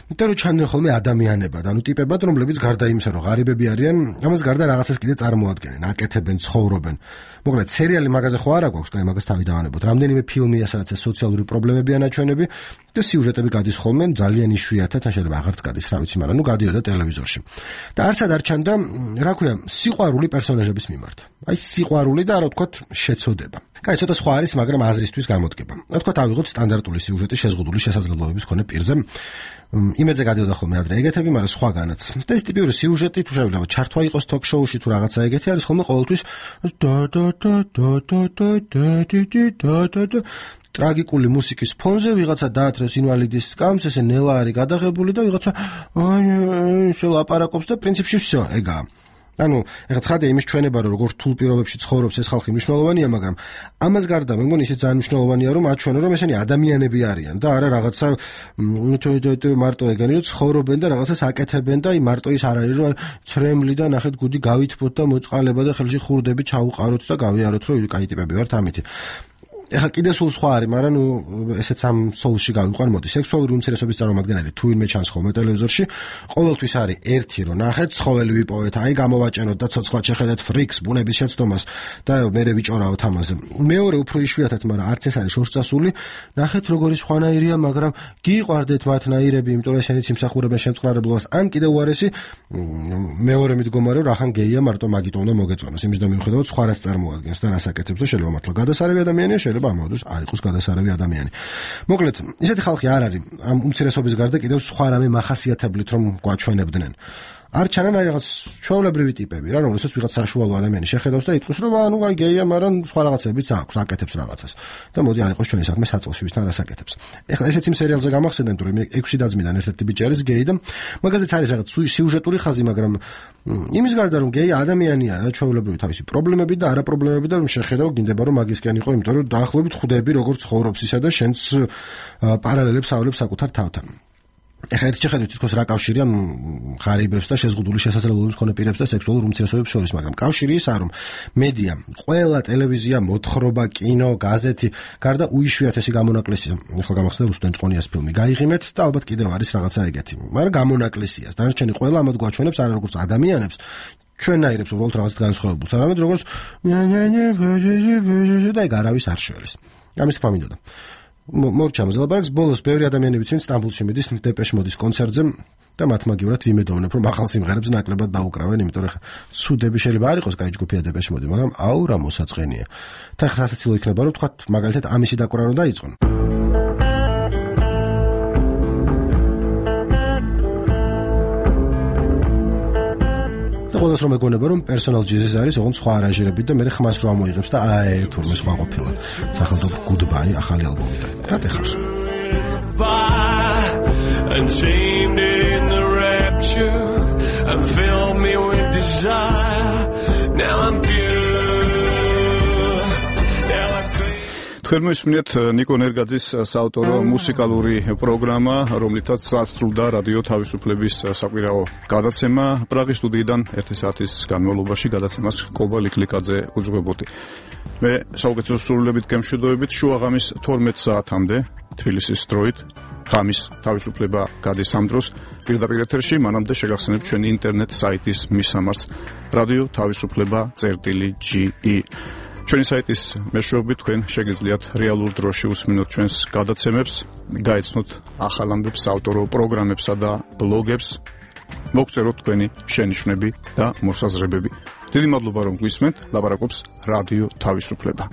და რო ჩანდნენ ხოლმე ადამიანებად, ანუ ტიპებად, რომლებიც გარდა იმისა, რომ ღარიბები არიან, ამას გარდა რაღაცას კიდე წარმოადგენენ, აკეთებენ, ცხოვრობენ. მოკლედ, სერიალი მაგაზე ხო არა გვაქვს, კაი, მაგას თავი დავანებოთ. რამდენიმე ფილმია, სადაც ეს სოციალური პრობლემებია ნაჩვენები და სიუჟეტები გადის ხოლმე ძალიან იშვიათად, ან შეიძლება აღარც გადის, რა ვიცი, მაგრამ ნუ გადიოდა ტელევიზორში. და არცად არ ჩანდა, რა ქვია, სიყვარული პერსონაჟების მიმართ. აი, სიყვარული და რა ვთქვათ, შეცოდება. კაი, ცოტა სხვა არის, მაგრამ აზრისთვის გამოდგება. რა ვთქვათ, ავიღოთ სტანდარტული სიუჟეტი შეზღუდული შესაძლებლობების მქონე პირზე. იმედზე გადიოდა ხოლმე ადრე ეგეთები, მაგრამ სხვაგანაც. და ეს ტიპიური სიუჟეტი თუ შეიძლება ჩართვა იყოს ток-შოუში თუ რაღაცა ეგეთი არის ხოლმე ყოველთვის და და და და და და და და ტრაგიკული მუსიკის ფონზე ვიღაცა დაათრევს ინვალიდის სკამს, ესე ნელა არის გადაღებული და ვიღაცა აი შელაპარაკობს და პრინციპში всё, ეგაა. ანუ ეხლა ცხადია იმის ჩვენება რომ როგორ რთულ პირობებში ცხოვრობს ეს ხალხი მნიშვნელოვანია, მაგრამ ამას გარდა მე მგონი ისიც ძალიან მნიშვნელოვანია რომ აჩვენო რომ ესენი ადამიანები არიან და არა რაღაცა მარტო ეგენი რომ ცხოვრობენ და რაღაცას აკეთებენ და აი მარტო ის არ არის რომ ცრემლი და ნახეთ გუდი გავითბოთ და მოწყალება და ხელში ხურდები ჩაუყაროთ და გავიაროთ რომ კაი ტიპები ვართ ამითი. ეხლა კიდე სულ სხვა არის, მაგრამ ნუ ესეც ამ სოულში გავიყვან, მოდი. სექსუალური უმცირესობის წარმომადგენელი თუ ვინმე ჩანს ხოლმე ტელევიზორში, ყოველთვის არის ერთი რომ ნახეთ, ცხოველი ვიპოვეთ, აი გამოვაჭენოთ და ცოცხლად შეხედეთ ფრიქს, ბუნების შეცდომას და მერე ვიჭორავთ ამაზე. მეორე უფრო იშვიათად, მაგრამ არც ეს არის შორს წასული, ნახეთ როგორი სხვანაირია, მაგრამ გიყვარდეთ მათნაირები, იმიტომ რომ ესენი სიმსახურებენ შემწყნარებლობას, ან კიდე უარესი, მეორე მიდგომა რომ რახან გეია, მარტო მაგით უნდა მოგეწონოს, იმის და მიუხედავად სხვა რას წარმოადგენს და რას აკეთებს და შეიძლება მართლა გადასარევი ადამიანია, შეიძლება ამავდროულად არ იყოს გადასარევი ადამიანი. მოკლედ, ისეთი ხალხი არ არის ამ უმცირესობის გარდა კიდევ სხვა რამე მახასიათებლით რომ გვაჩვენებდნენ. არ ჩანან აი რაღაც ჩვეულებრივი ტიპები რა, რომელსაც ვიღაც საშუალო ადამიანი შეხედავს და იტყვის რომ ანუ აი გეია, მაგრამ სხვა რაღაცებიც აქვს, აკეთებს რაღაცას. და მოდი არ იყოს ჩვენი საქმე საწოლში ვისთან რას აკეთებს. ეხლა ესეც იმ სერიალზე გამახსენდნენ, რომ ექვსი დაძმიდან ერთ-ერთი ბიჭი არის გეი და მაგაზეც არის რაღაც სიუჟეტური ხაზი, მაგრამ იმის გარდა რომ გეი ადამიანია რა, ჩვეულებრივი თავისი პრობლემები და არა პრობლემები და რომ შეხედავ გინდება რომ მაგისკენ იყო, იმიტომ რომ დაახლოებით ხვდები როგორ ცხოვრობს ისა და შენც პარალელებს ავლებს საკუთარ თავთან. ეხლა ერთ შეხედვით თითქოს რა კავშირია ღარიბებს და შეზღუდული შესაძლებლობების მქონე პირებს და სექსუალურ უმცირესობებს შორის, მაგრამ კავშირი ისაა, რომ მედია, ყველა ტელევიზია, მოთხრობა, კინო, გაზეთი, გარდა უიშვიათესი გამონაკლისია. ეხლა გამახსენდა რუსტენ ჭყონიას ფილმი გაიღიმეთ და ალბათ კიდევ არის რაღაცა ეგეთი. მაგრამ გამონაკლისია. დანარჩენი ყველა ამათ გვაჩვენებს არა როგორც ადამიანებს, ჩვენნაირებს უბრალოდ რაღაც განსხვავებულს, არამედ როგორც და ეგ არავის არ შველის. ამის თქმა მინდოდა. მორჩამს ლაბარაკს ბოლოს ბევრი ადამიანი ვიცით სტამბოლში მიდის დეპეშ მოდის კონცერტზე და მათ მაგივრად ვიმედოვნებ რომ ახალ სიმღერებს ნაკლებად დაუკრავენ, იმიტომ რომ სუდები შეიძლება არ იყოს კაი ჯგუფია დეპეშ მოდი, მაგრამ აუ რა მოსაწყენია. თან ხასაცილო იქნება რომ თქვა მაგალითად ამისი დაკვრა რომ დაიწყონ. და ყველას რომ ეგონება რომ პერსონალ ჯიზის არის ოღონდ სხვა არანჟირებით და მე ხმას რო ამოიღებს და აი თურმე სხვა ყოფილა სახელმწიფო goodbye ახალი ალბომიდან რა ტეხავს and chained in the rapture and fill me with desire now I'm თქვენ მოსმენთ ნიკო ნერგაძის საავტორო მუსიკალური პროგრამა, რომლითაც სრულდა რადიო თავისუფლების საკვირაო გადაცემა პრაღის სტუდიიდან ერთი საათის განმავლობაში გადაცემას კობა ლიკლიკაძე უძღვებოდი. მე საუკეთესო სრულებით გემშვიდობებით შუაღამის თორმეტ საათამდე თბილისის დროით ღამის თავისუფლება გადის ამ დროს პირდაპირ ეთერში, მანამდე შეგახსენებთ ჩვენი ინტერნეტ საიტის მისამართს რადიო თავისუფლება წერტილი ჯი ი. ჩვენი საიტის მეშვეობით თქვენ შეგიძლიათ რეალურ დროში უსმინოთ ჩვენს გადაცემებს, გაეცნოთ ახალ ამბებს, საავტორო პროგრამებსა და ბლოგებს, მოგწეროთ თქვენი შენიშვნები და მოსაზრებები. დიდი მადლობა რომ გვისმენთ, ლაპარაკობს რადიო თავისუფლება.